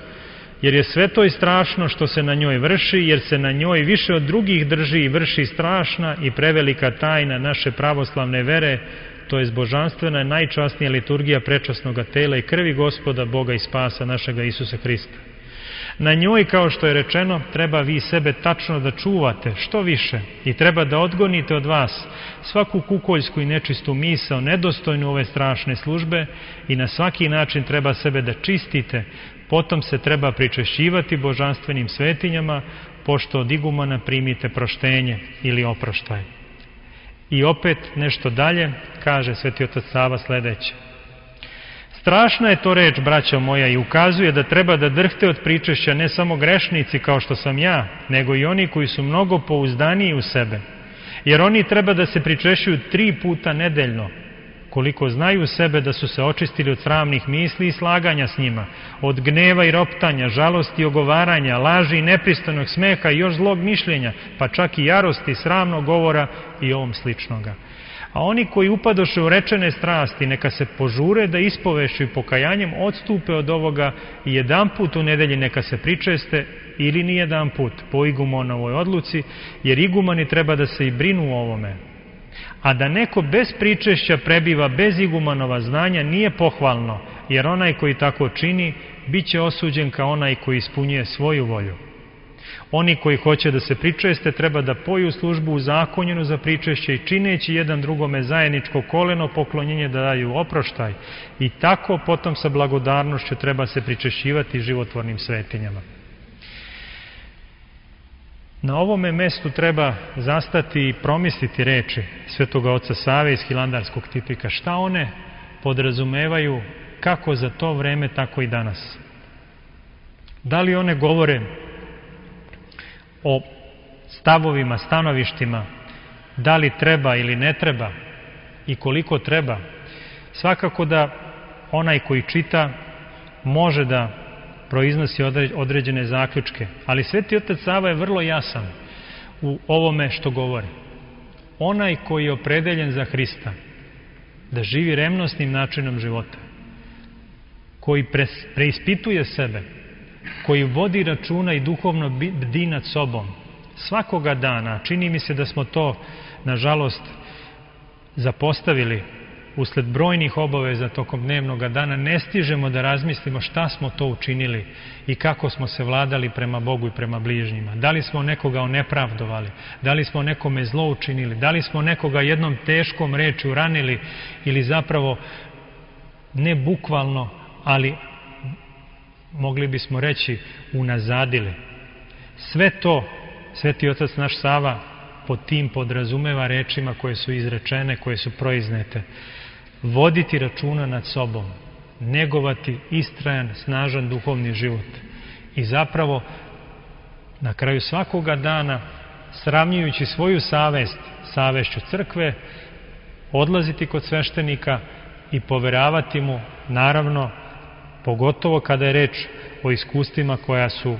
jer je sve to i strašno što se na njoj vrši, jer se na njoj više od drugih drži i vrši strašna i prevelika tajna naše pravoslavne vere, to je božanstvena najčasnija liturgija prečasnoga tela i krvi Gospoda, Boga i spasa našega Isusa Hrista. Na njoj, kao što je rečeno, treba vi sebe tačno da čuvate što više i treba da odgonite od vas svaku kukoljsku i nečistu misao nedostojnu ove strašne službe i na svaki način treba sebe da čistite, potom se treba pričešćivati božanstvenim svetinjama, pošto od igumana primite proštenje ili oproštaj. I opet nešto dalje kaže Sveti otac Sava sledeće. Strašna je to reč, braćo moja, i ukazuje da treba da drhte od pričešća ne samo grešnici kao što sam ja, nego i oni koji su mnogo pouzdaniji u sebe. Jer oni treba da se pričešćuju 3 puta nedeljno, koliko znaju sebe da su se očistili od sramnih misli i slaganja s njima, od gneva i roptanja, žalosti i ogovaranja, laži i nepristojnog smeha i još zlog mišljenja, pa čak i jarosti, sramnog govora i ovom sličnoga. A oni koji upadoše u rečene strasti, neka se požure da ispovešću i pokajanjem odstupe od ovoga i jedanput u nedelji neka se pričeste ili ni jedanput po igumonovoj odluci, jer igumani treba da se i brinu o ovome. A da neko bez pričešća prebiva bez igumanova znanja nije pohvalno, jer onaj koji tako čini bit će osuđen kao onaj koji ispunjuje svoju volju. Oni koji hoće da se pričeste treba da poju službu uzakonjenu za pričešće i čineći jedan drugome zajedničko koleno poklonjenje da daju oproštaj i tako potom sa blagodarnošću treba se pričešćivati životvornim svetinjama. Na ovome mestu treba zastati i promisliti reči Svetoga oca Save iz hilandarskog tipika. Šta one podrazumevaju kako za to vreme, tako i danas? Da li one govore o stavovima, stanovištima, da li treba ili ne treba i koliko treba? Svakako da onaj koji čita može da proiznosi određene zaključke, ali Sveti otac Sava je vrlo jasan u ovome što govori. Onaj koji je opredeljen za Hrista, da živi revnosnim načinom života, koji preispituje sebe, koji vodi računa i duhovno bdi nad sobom svakoga dana, čini mi se da smo to, nažalost, zapostavili usled brojnih obaveza tokom dnevnog dana ne stižemo da razmislimo šta smo to učinili i kako smo se vladali prema Bogu i prema bližnjima. Da li smo nekoga onepravdovali, da li smo nekome zlo učinili, da li smo nekoga jednom teškom rečju ranili ili zapravo ne bukvalno, ali mogli bismo reći unazadili. Sve to Sveti Otac naš Sava pod tim podrazumeva rečima koje su izrečene, koje su proiznete. Voditi računa nad sobom, negovati istrajan, snažan duhovni život i zapravo na kraju svakoga dana, sravnjujući svoju savest savešću crkve, odlaziti kod sveštenika i poveravati mu, naravno, pogotovo kada je reč o iskustvima koja su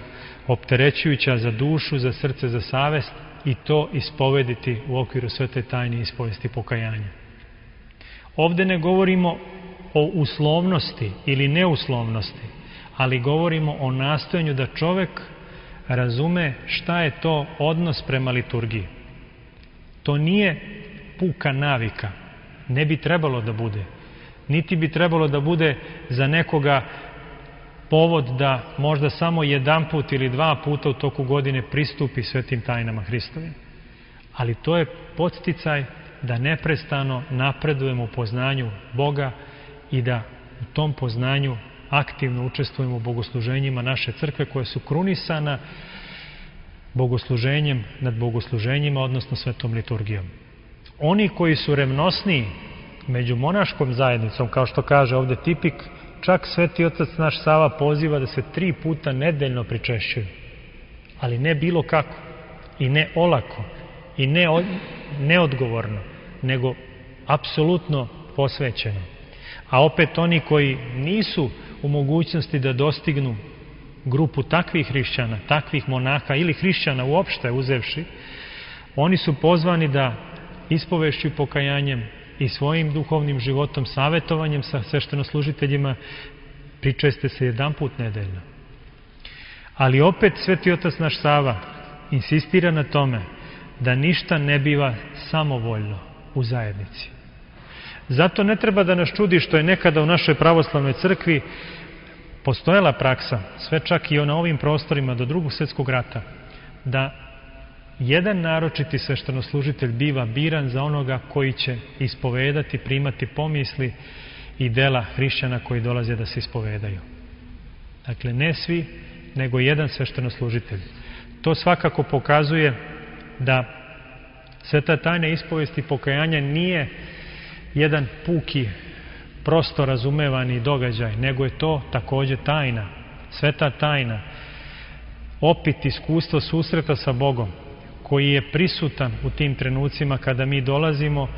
opterećujuća za dušu, za srce, za savest, i to ispovediti u okviru svete tajne ispovesti pokajanja. Ovde ne govorimo o uslovnosti ili neuslovnosti, ali govorimo o nastojanju da čovek razume šta je to odnos prema liturgiji. To nije puka navika, ne bi trebalo da bude, niti bi trebalo da bude za nekoga povod da možda samo jedan put ili dva puta u toku godine pristupi svetim tajnama Hristovim. Ali to je podsticaj da neprestano napredujemo u poznanju Boga i da u tom poznanju aktivno učestvujemo u bogosluženjima naše crkve koje su krunisana bogosluženjem nad bogosluženjima, odnosno svetom liturgijom. Oni koji su revnosniji među monaškom zajednicom, kao što kaže ovde tipik, čak Sveti Otac naš Sava poziva da se 3 puta nedeljno pričešćuju. Ali ne bilo kako, i ne olako, i ne neodgovorno, nego apsolutno posvećeno. A opet oni koji nisu u mogućnosti da dostignu grupu takvih hrišćana, takvih monaha ili hrišćana uopšte uzevši, oni su pozvani da ispovešću i pokajanjem i svojim duhovnim životom, savetovanjem sa sveštenoslužiteljima pričeste se jedan put nedeljno. Ali opet Sveti Otac naš Sava insistira na tome da ništa ne biva samovoljno u zajednici. Zato ne treba da nas čudi što je nekada u našoj pravoslavnoj crkvi postojala praksa, sve čak i na ovim prostorima do Drugog svjetskog rata, da jedan naročiti sveštenoslužitelj biva biran za onoga koji će ispovedati, primati pomisli i dela hrišćana koji dolaze da se ispovedaju. Dakle, ne svi, nego jedan sveštenoslužitelj. To svakako pokazuje da sveta tajna ispovesti pokajanja nije jedan puki, prosto razumevani događaj, nego je to takođe tajna, sveta tajna, opit iskustvo susreta sa Bogom, koji je prisutan u tim trenucima kada mi dolazimo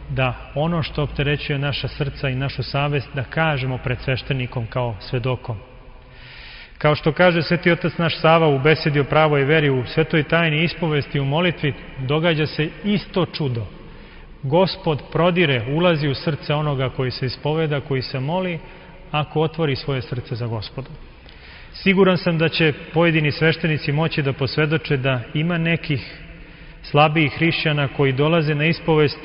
da ono što opterećuje naša srca i našu savest da kažemo pred sveštenikom kao svedokom. Kao što kaže Sveti Otac naš Sava u besedi o pravoj veri, u svetoj tajni ispovesti, u molitvi, događa se isto čudo. Gospod prodire, ulazi u srce onoga koji se ispoveda, koji se moli, ako otvori svoje srce za Gospodom. Siguran sam da će pojedini sveštenici moći da posvedoče da ima nekih slabijih hrišćana koji dolaze na ispovest,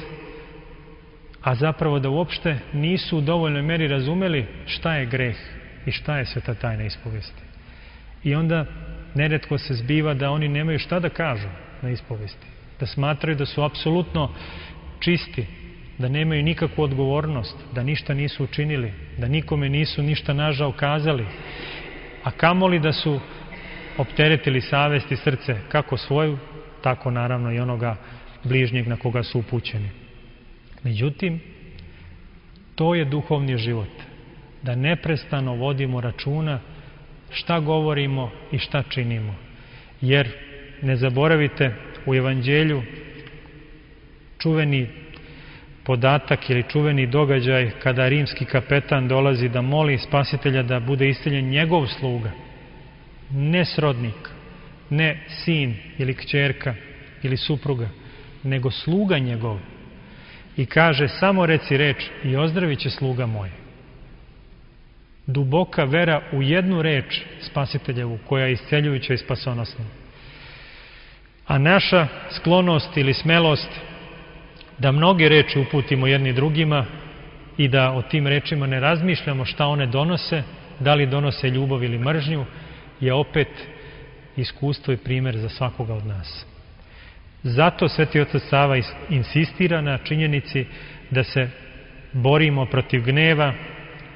a zapravo da uopšte nisu u dovoljnoj meri razumeli šta je greh i šta je sveta tajna ispovesti. I onda neretko se zbiva da oni nemaju šta da kažu na ispovesti, da smatraju da su apsolutno čisti, da nemaju nikakvu odgovornost, da ništa nisu učinili, da nikome nisu ništa nažao kazali, a kamoli da su opteretili savest i srce, kako svoju, tako naravno i onoga bližnjeg na koga su upućeni. Međutim, to je duhovni život, da neprestano vodimo računa šta govorimo i šta činimo. Jer, ne zaboravite, u Evanđelju čuveni podatak ili čuveni događaj kada rimski kapetan dolazi da moli Spasitelja da bude isceljen njegov sluga, ne srodnik, ne sin ili kćerka ili supruga, nego sluga njegov. I kaže, samo reci reč i ozdravit će sluga moj. Duboka vera u jednu reč Spasiteljevu, koja je isceljujuća i spasonosna. A naša sklonost ili smelost da mnoge reči uputimo jedni drugima i da o tim rečima ne razmišljamo šta one donose, da li donose ljubav ili mržnju, je opet iskustvo i primjer za svakoga od nas. Zato Sveti Otac Sava insistira na činjenici da se borimo protiv gneva,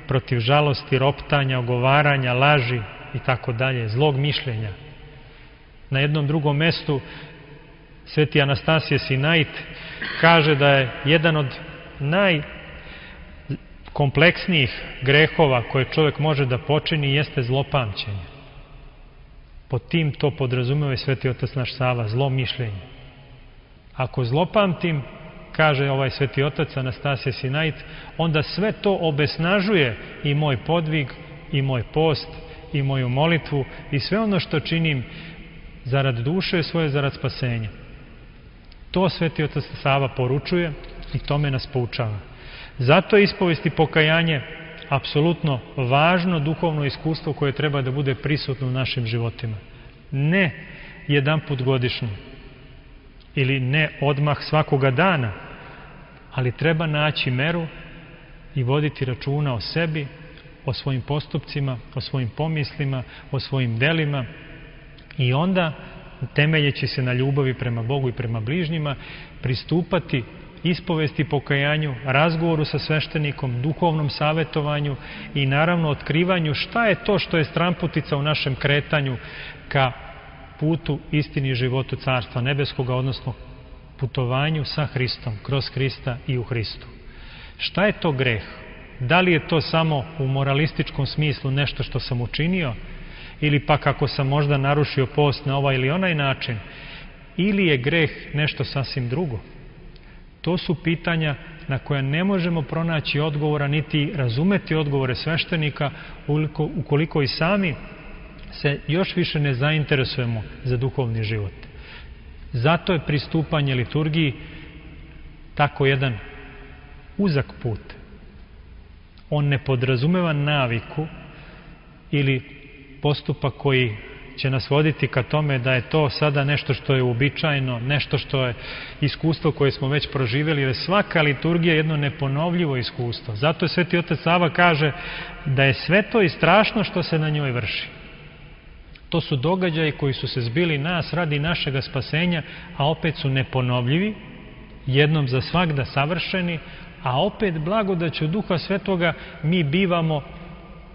protiv žalosti, roptanja, ogovaranja, laži i tako dalje, zlog mišljenja. Na jednom drugom mestu Sveti Anastasije Sinait kaže da je jedan od najkompleksnijih grehova koje čovjek može da počini jeste zlopamćenje. Pod tim to podrazumeva i Sveti Otac naš Sava, zlo mišljenje. Ako zlopamtim, kaže ovaj Sveti Otac Anastasije Sinait, onda sve to obesnažuje i moj podvig, i moj post, i moju molitvu, i sve ono što činim zarad duše svoje, zarad spasenja. To Sveti Otac Sava poručuje i tome nas poučava. Zato je ispovest i pokajanje apsolutno važno duhovno iskustvo koje treba da bude prisutno u našim životima. Ne jedanput godišnje ili ne odmah svakoga dana, ali treba naći meru i voditi računa o sebi, o svojim postupcima, o svojim pomislima, o svojim delima i onda, temeljeći se na ljubavi prema Bogu i prema bližnjima, pristupati ispovesti, pokajanju, razgovoru sa sveštenikom, duhovnom savjetovanju i naravno otkrivanju šta je to što je stranputica u našem kretanju ka putu, istini i životu Carstva Nebeskoga, odnosno putovanju sa Hristom, kroz Hrista i u Hristu. Šta je to greh? Da li je to samo u moralističkom smislu nešto što sam učinio, ili pak ako sam možda narušio post na ovaj ili onaj način, ili je greh nešto sasvim drugo? To su pitanja na koja ne možemo pronaći odgovora, niti razumeti odgovore sveštenika ukoliko i sami se još više ne zainteresujemo za duhovni život. Zato je pristupanje liturgiji tako jedan uzak put. On ne podrazumeva naviku ili postupak koji će nas voditi ka tome da je to sada nešto što je uobičajeno, nešto što je iskustvo koje smo već proživjeli, jer svaka liturgija je jedno neponovljivo iskustvo. Zato je Sveti Otac Sava kaže da je sve to i strašno što se na njoj vrši. To su događaji koji su se zbili nas radi našega spasenja, a opet su neponovljivi, jednom za svagda savršeni, a opet blagodaću Duha Svetoga mi bivamo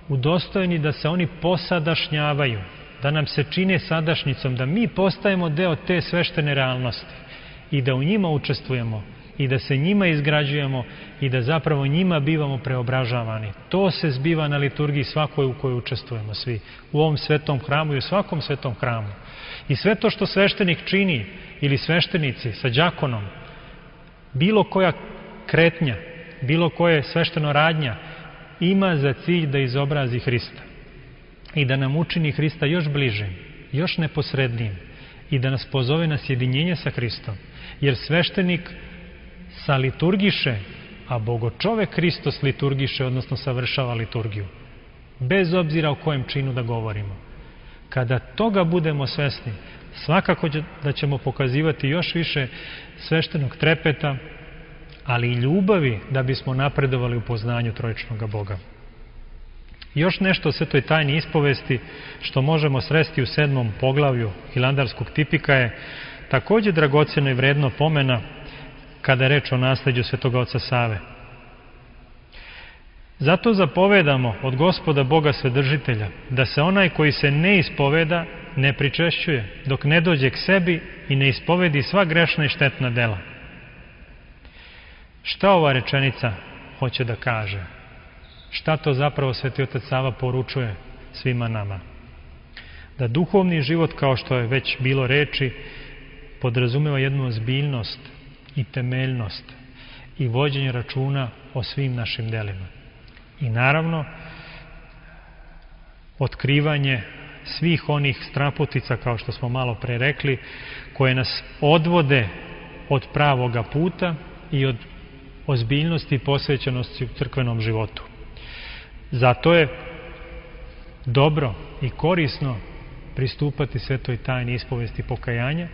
udostojeni da se oni posadašnjavaju, da nam se čine sadašnjicom, da mi postajemo deo te sveštene realnosti i da u njima učestvujemo i da se njima izgrađujemo i da zapravo njima bivamo preobražavani. To se zbiva na liturgiji svakoj u kojoj učestvujemo svi, u ovom svetom hramu i u svakom svetom hramu. I sve to što sveštenik čini ili sveštenici sa đakonom, bilo koja kretnja, bilo koje svešteno radnja, ima za cilj da izobrazi Hrista i da nam učini Hrista još bližim, još neposrednijim i da nas pozove na sjedinjenje sa Hristom. Jer sveštenik saliturgiše, a Bogočovek Hristos liturgiše, odnosno savršava liturgiju. Bez obzira o kojem činu da govorimo. Kada toga budemo svesni, svakako da ćemo pokazivati još više sveštenog trepeta, ali i ljubavi da bismo napredovali u poznanju trojičnog Boga. Još nešto o svetoj tajni ispovesti što možemo sresti u 7. poglavlju Hilandarskog tipika je također dragocjeno i vredno pomena kada je reč o nasleđu svetoga oca Save. Zato zapovedamo od Gospoda Boga Svedržitelja da se onaj koji se ne ispoveda ne pričešćuje dok ne dođe k sebi i ne ispovedi sva grešna i štetna dela. Šta ova rečenica hoće da kaže? Šta to zapravo Sveti Otac Sava poručuje svima nama? Da duhovni život, kao što je već bilo reči, podrazumeva jednu ozbiljnost i temeljnost i vođenje računa o svim našim delima. I naravno, otkrivanje svih onih straputica, kao što smo malo pre rekli, koje nas odvode od pravoga puta i od ozbiljnosti i posvećenosti u crkvenom životu. Zato je dobro i korisno pristupati svetoj tajni ispovesti pokajanja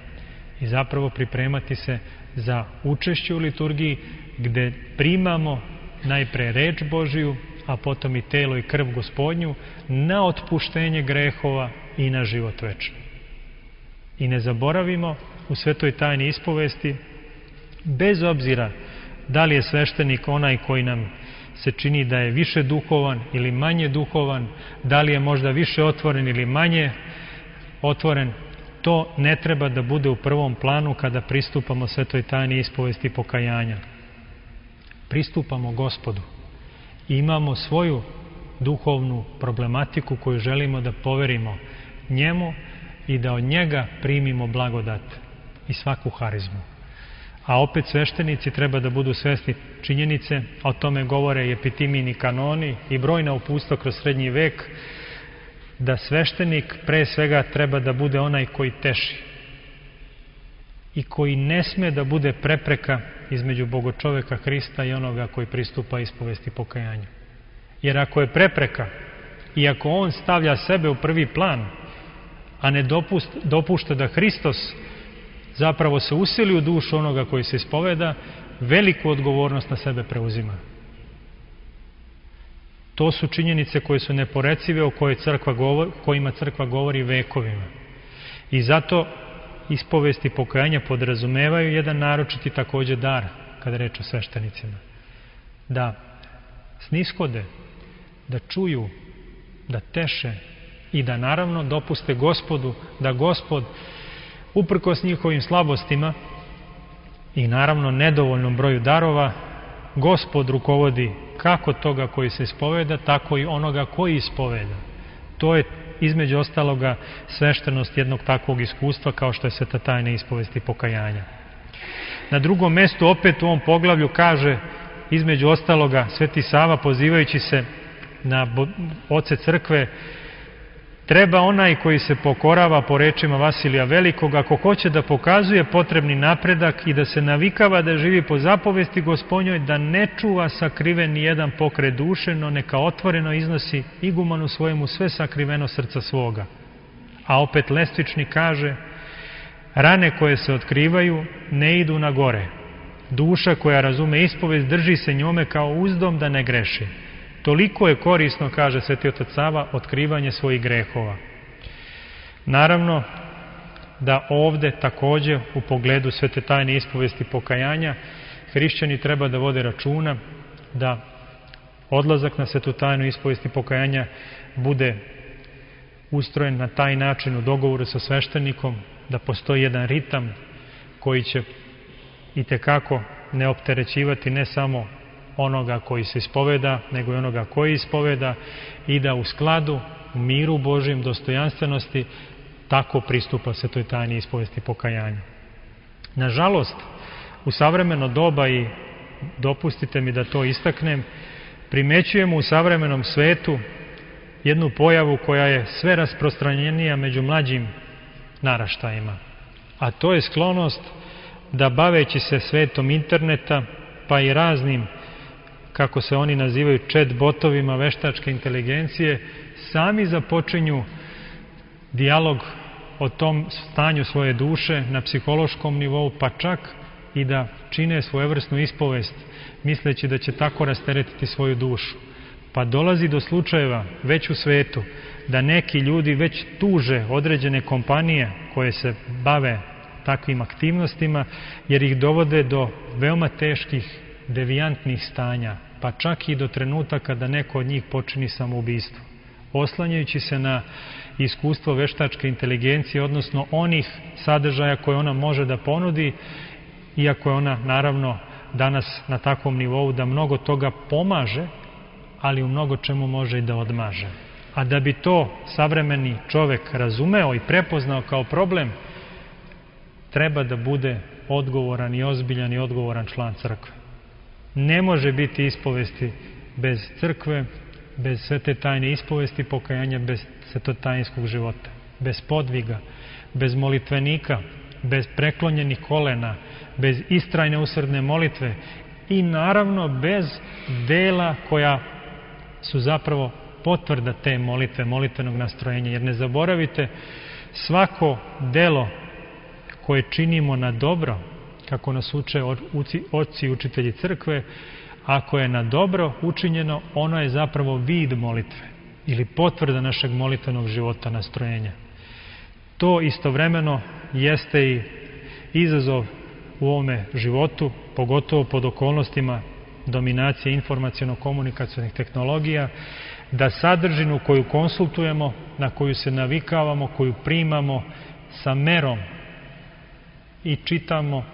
i zapravo pripremati se za učešće u liturgiji gde primamo najpre reč Božiju, a potom i telo i krv Gospodnju, na otpuštenje grehova i na život večni. I ne zaboravimo u svetoj tajni ispovesti, bez obzira da li je sveštenik onaj koji nam se čini da je više duhovan ili manje duhovan, da li je možda više otvoren ili manje otvoren, to ne treba da bude u prvom planu kada pristupamo svetoj tajni ispovesti pokajanja. Pristupamo Gospodu i imamo svoju duhovnu problematiku koju želimo da poverimo njemu i da od njega primimo blagodat i svaku harizmu. A opet sveštenici treba da budu svesni činjenice, o tome govore i epitimini kanoni i brojna upustva kroz srednji vek, da sveštenik pre svega treba da bude onaj koji teši i koji ne sme da bude prepreka između Bogočoveka Hrista i onoga koji pristupa ispovesti pokajanju. Jer ako je prepreka i ako on stavlja sebe u prvi plan, a ne dopušta da Hristos zapravo se usili u dušu onoga koji se ispoveda, veliku odgovornost na sebe preuzima. To su činjenice koje su neporecive, o kojima crkva govori vekovima. I zato ispovesti pokajanja podrazumevaju jedan naročiti također dar, kada reč o sveštenicima. Da snishode, da čuju, da teše i da naravno dopuste Gospodu, da Gospod uprkos njihovim slabostima i naravno nedovoljnom broju darova, Gospod rukovodi kako toga koji se ispoveda, tako i onoga koji ispoveda. To je između ostaloga sveštenost jednog takvog iskustva kao što je sveta tajna ispovesti pokajanja. Na drugom mestu opet u ovom poglavlju kaže između ostaloga Sveti Sava pozivajući se na oce crkve, treba onaj koji se pokorava po rečima Vasilija Velikog, ako hoće da pokazuje potrebni napredak i da se navikava da živi po zapovesti Gospodnjoj, da ne čuva sakriven ni jedan pokret duše, no neka otvoreno iznosi igumanu svojemu sve sakriveno srca svoga. A opet Lestvični kaže, rane koje se otkrivaju ne idu na gore. Duša koja razume ispovest drži se njome kao uzdom da ne greši. Toliko je korisno, kaže Sveti otac Sava, otkrivanje svojih grehova. Naravno da ovde također u pogledu svete tajne ispovesti pokajanja hrišćani treba da vode računa da odlazak na svetu tajnu ispovesti pokajanja bude ustrojen na taj način u dogovoru sa sveštenikom, da postoji jedan ritam koji će itekako ne opterećivati ne samo onoga koji se ispoveda, nego i onoga koji ispoveda i da u skladu, u miru Božjem, dostojanstvenosti, tako pristupa se toj tajni ispovesti pokajanja. Nažalost, u savremeno doba, i dopustite mi da to istaknem, primećujemo u savremenom svetu jednu pojavu koja je sve rasprostranjenija među mlađim naraštajima, a to je sklonost da baveći se svetom interneta, pa i raznim, kako se oni nazivaju, chat botovima veštačke inteligencije, sami započinju dijalog o tom stanju svoje duše na psihološkom nivou, pa čak i da čine svojevrsnu ispovest, misleći da će tako rasteretiti svoju dušu. Pa dolazi do slučajeva već u svetu da neki ljudi već tuže određene kompanije koje se bave takvim aktivnostima, jer ih dovode do veoma teških, devijantnih stanja, pa čak i do trenutaka da neko od njih počini samoubistvo. Oslanjajući se na iskustvo veštačke inteligencije, odnosno onih sadržaja koje ona može da ponudi, iako je ona naravno danas na takvom nivou da mnogo toga pomaže, ali u mnogo čemu može i da odmaže. A da bi to savremeni čovek razumeo i prepoznao kao problem, treba da bude odgovoran i ozbiljan i odgovoran član crkve. Ne može biti ispovesti bez crkve, bez svete tajne ispovesti pokajanja, bez svetotajinskog života, bez podviga, bez molitvenika, bez preklonjenih kolena, bez istrajne usrdne molitve i naravno bez dela koja su zapravo potvrda te molitve, molitvenog nastrojenja. Jer ne zaboravite, svako delo koje činimo na dobro, kako nas uče oci i učitelji crkve, Ako je na dobro učinjeno, ono je zapravo vid molitve ili potvrda našeg molitvenog života, nastrojenja. To istovremeno jeste i izazov u ovome životu, pogotovo pod okolnostima dominacije informaciono-komunikacionih tehnologija, da sadržinu koju konsultujemo, na koju se navikavamo, koju primamo sa merom i čitamo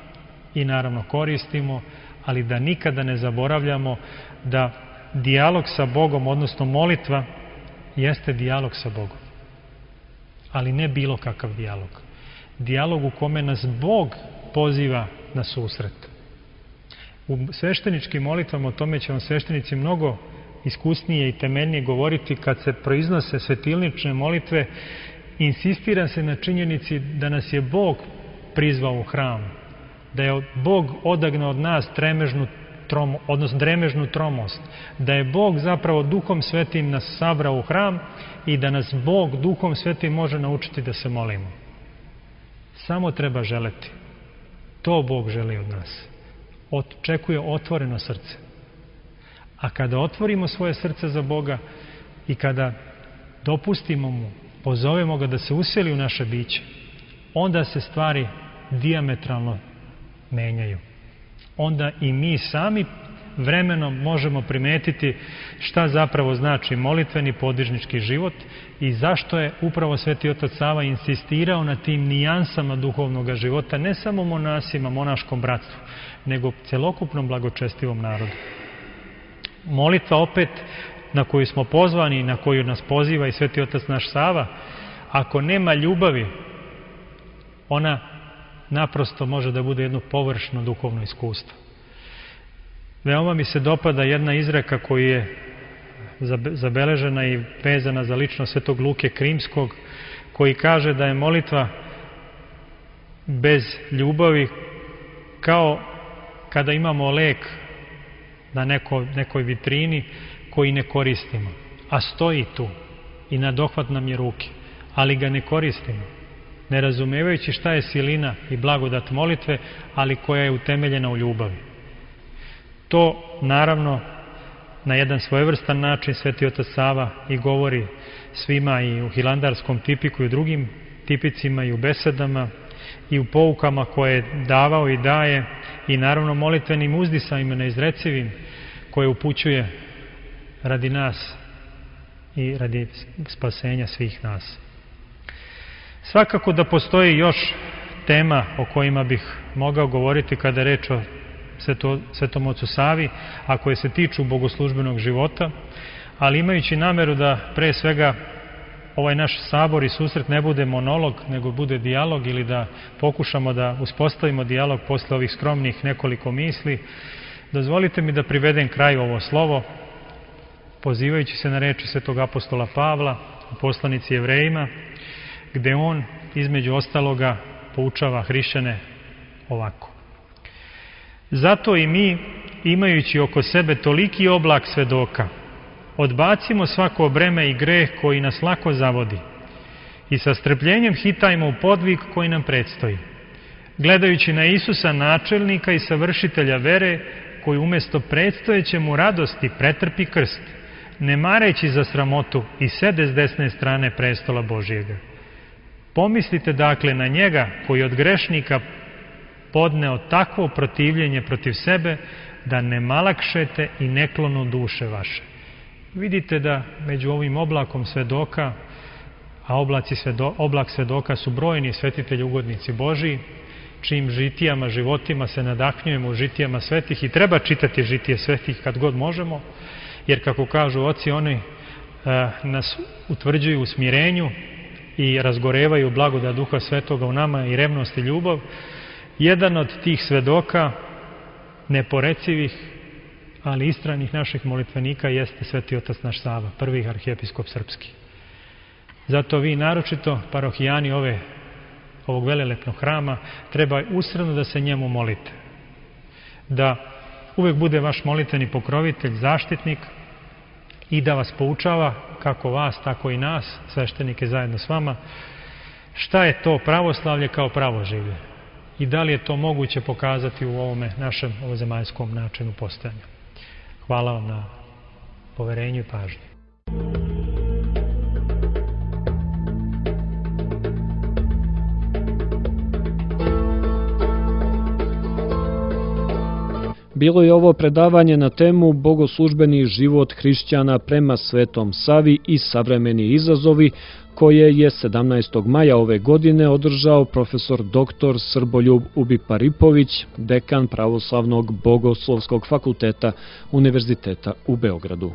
i naravno koristimo, ali da nikada ne zaboravljamo da dijalog sa Bogom, odnosno molitva, jeste dijalog sa Bogom. Ali ne bilo kakav dijalog. Dijalog u kome nas Bog poziva na susret. U svešteničkim molitvama, o tome će vam sveštenici mnogo iskusnije i temeljnije govoriti, kad se proiznose svetilnične molitve, insistira se na činjenici da nas je Bog prizvao u hram, da je Bog odagnao od nas dremežnu tromost, da je Bog zapravo Duhom Svetim nas sabrao u hram i da nas Bog Duhom Svetim može naučiti da se molimo. Samo treba želeti. To Bog želi od nas. Očekuje otvoreno srce. A kada otvorimo svoje srce za Boga i kada dopustimo mu, pozovemo ga da se useli u naše biće, onda se stvari dijametralno menjaju. Onda i mi sami vremenom možemo primetiti šta zapravo znači molitveni podižnički život i zašto je upravo Sveti Otac Sava insistirao na tim nijansama duhovnog života, ne samo monasima, monaškom bratstvu, nego celokupnom blagočestivom narodu. Molitva opet na koju smo pozvani i na koju nas poziva i Sveti Otac naš Sava, ako nema ljubavi, ona naprosto može da bude jedno površno duhovno iskustvo. Veoma mi se dopada jedna izreka koja je zabeležena i vezana za ličnost Svetog Luke Krimskog, koji kaže da je molitva bez ljubavi kao kada imamo lek na nekoj vitrini koji ne koristimo, a stoji tu i na dohvat nam je ruke, ali ga ne koristimo, ne razumevajući šta je silina i blagodat molitve, ali koja je utemeljena u ljubavi. To naravno na jedan svojevrstan način Sveti Otac Sava i govori svima i u hilandarskom tipiku i u drugim tipicima i u besedama i u poukama koje je davao i daje i naravno molitvenim uzdisajima neizrecivim koje upućuje radi nas i radi spasenja svih nas. Svakako da postoji još tema o kojima bih mogao govoriti kada je reč o Svetom Ocu Savi, a koje se tiču bogoslužbenog života, ali imajući nameru da pre svega ovaj naš sabor i susret ne bude monolog, nego bude dijalog ili da pokušamo da uspostavimo dijalog posle ovih skromnih nekoliko misli, dozvolite mi da privedem kraju ovo slovo, pozivajući se na reči Svetog apostola Pavla u poslanici Jevrejima, gde on između ostaloga poučava hrišćane ovako. Zato i mi, imajući oko sebe toliki oblak svedoka, odbacimo svako breme i greh koji nas lako zavodi i sa strpljenjem hitajmo u podvig koji nam predstoji, gledajući na Isusa načelnika i savršitelja vere, koji umjesto predstojeće mu radosti pretrpi krst, ne mareći za sramotu i sede s desne strane prestola Božijega. Pomislite dakle na njega koji od grešnika podneo takvo protivljenje protiv sebe, da ne malakšete i ne klonu duše vaše. Vidite da među ovim oblakom svedoka, a oblak svedoka su brojni svetitelji ugodnici Božiji, čijim žitijama, životima se nadahnjujemo u žitijama svetih i treba čitati žitije svetih kad god možemo, jer kako kažu oci, oni nas utvrđuju u smirenju i razgorevaju blagodat Duha Svetoga u nama i revnost i ljubav. Jedan od tih svedoka, neporecivih, ali istranih naših molitvenika jeste Sveti Otac naš Sava, prvi arhijepiskop srpski. Zato vi, naročito parohijani ovog velelepnog hrama, treba usredno da se njemu molite. Da uvek bude vaš molitveni pokrovitelj, zaštitnik i da vas poučava, kako vas, tako i nas, sveštenike zajedno s vama, šta je to pravoslavlje kao pravoživlje i da li je to moguće pokazati u ovome našem ovozemaljskom načinu postojanja. Hvala vam na poverenju i pažnji. Bilo je ovo predavanje na temu Bogoslužbeni život hrišćana prema Svetom Savi i savremeni izazovi, koje je 17. maja ove godine održao profesor dr. Srboljub Ubiparipović, dekan Pravoslavnog bogoslovskog fakulteta Univerziteta u Beogradu.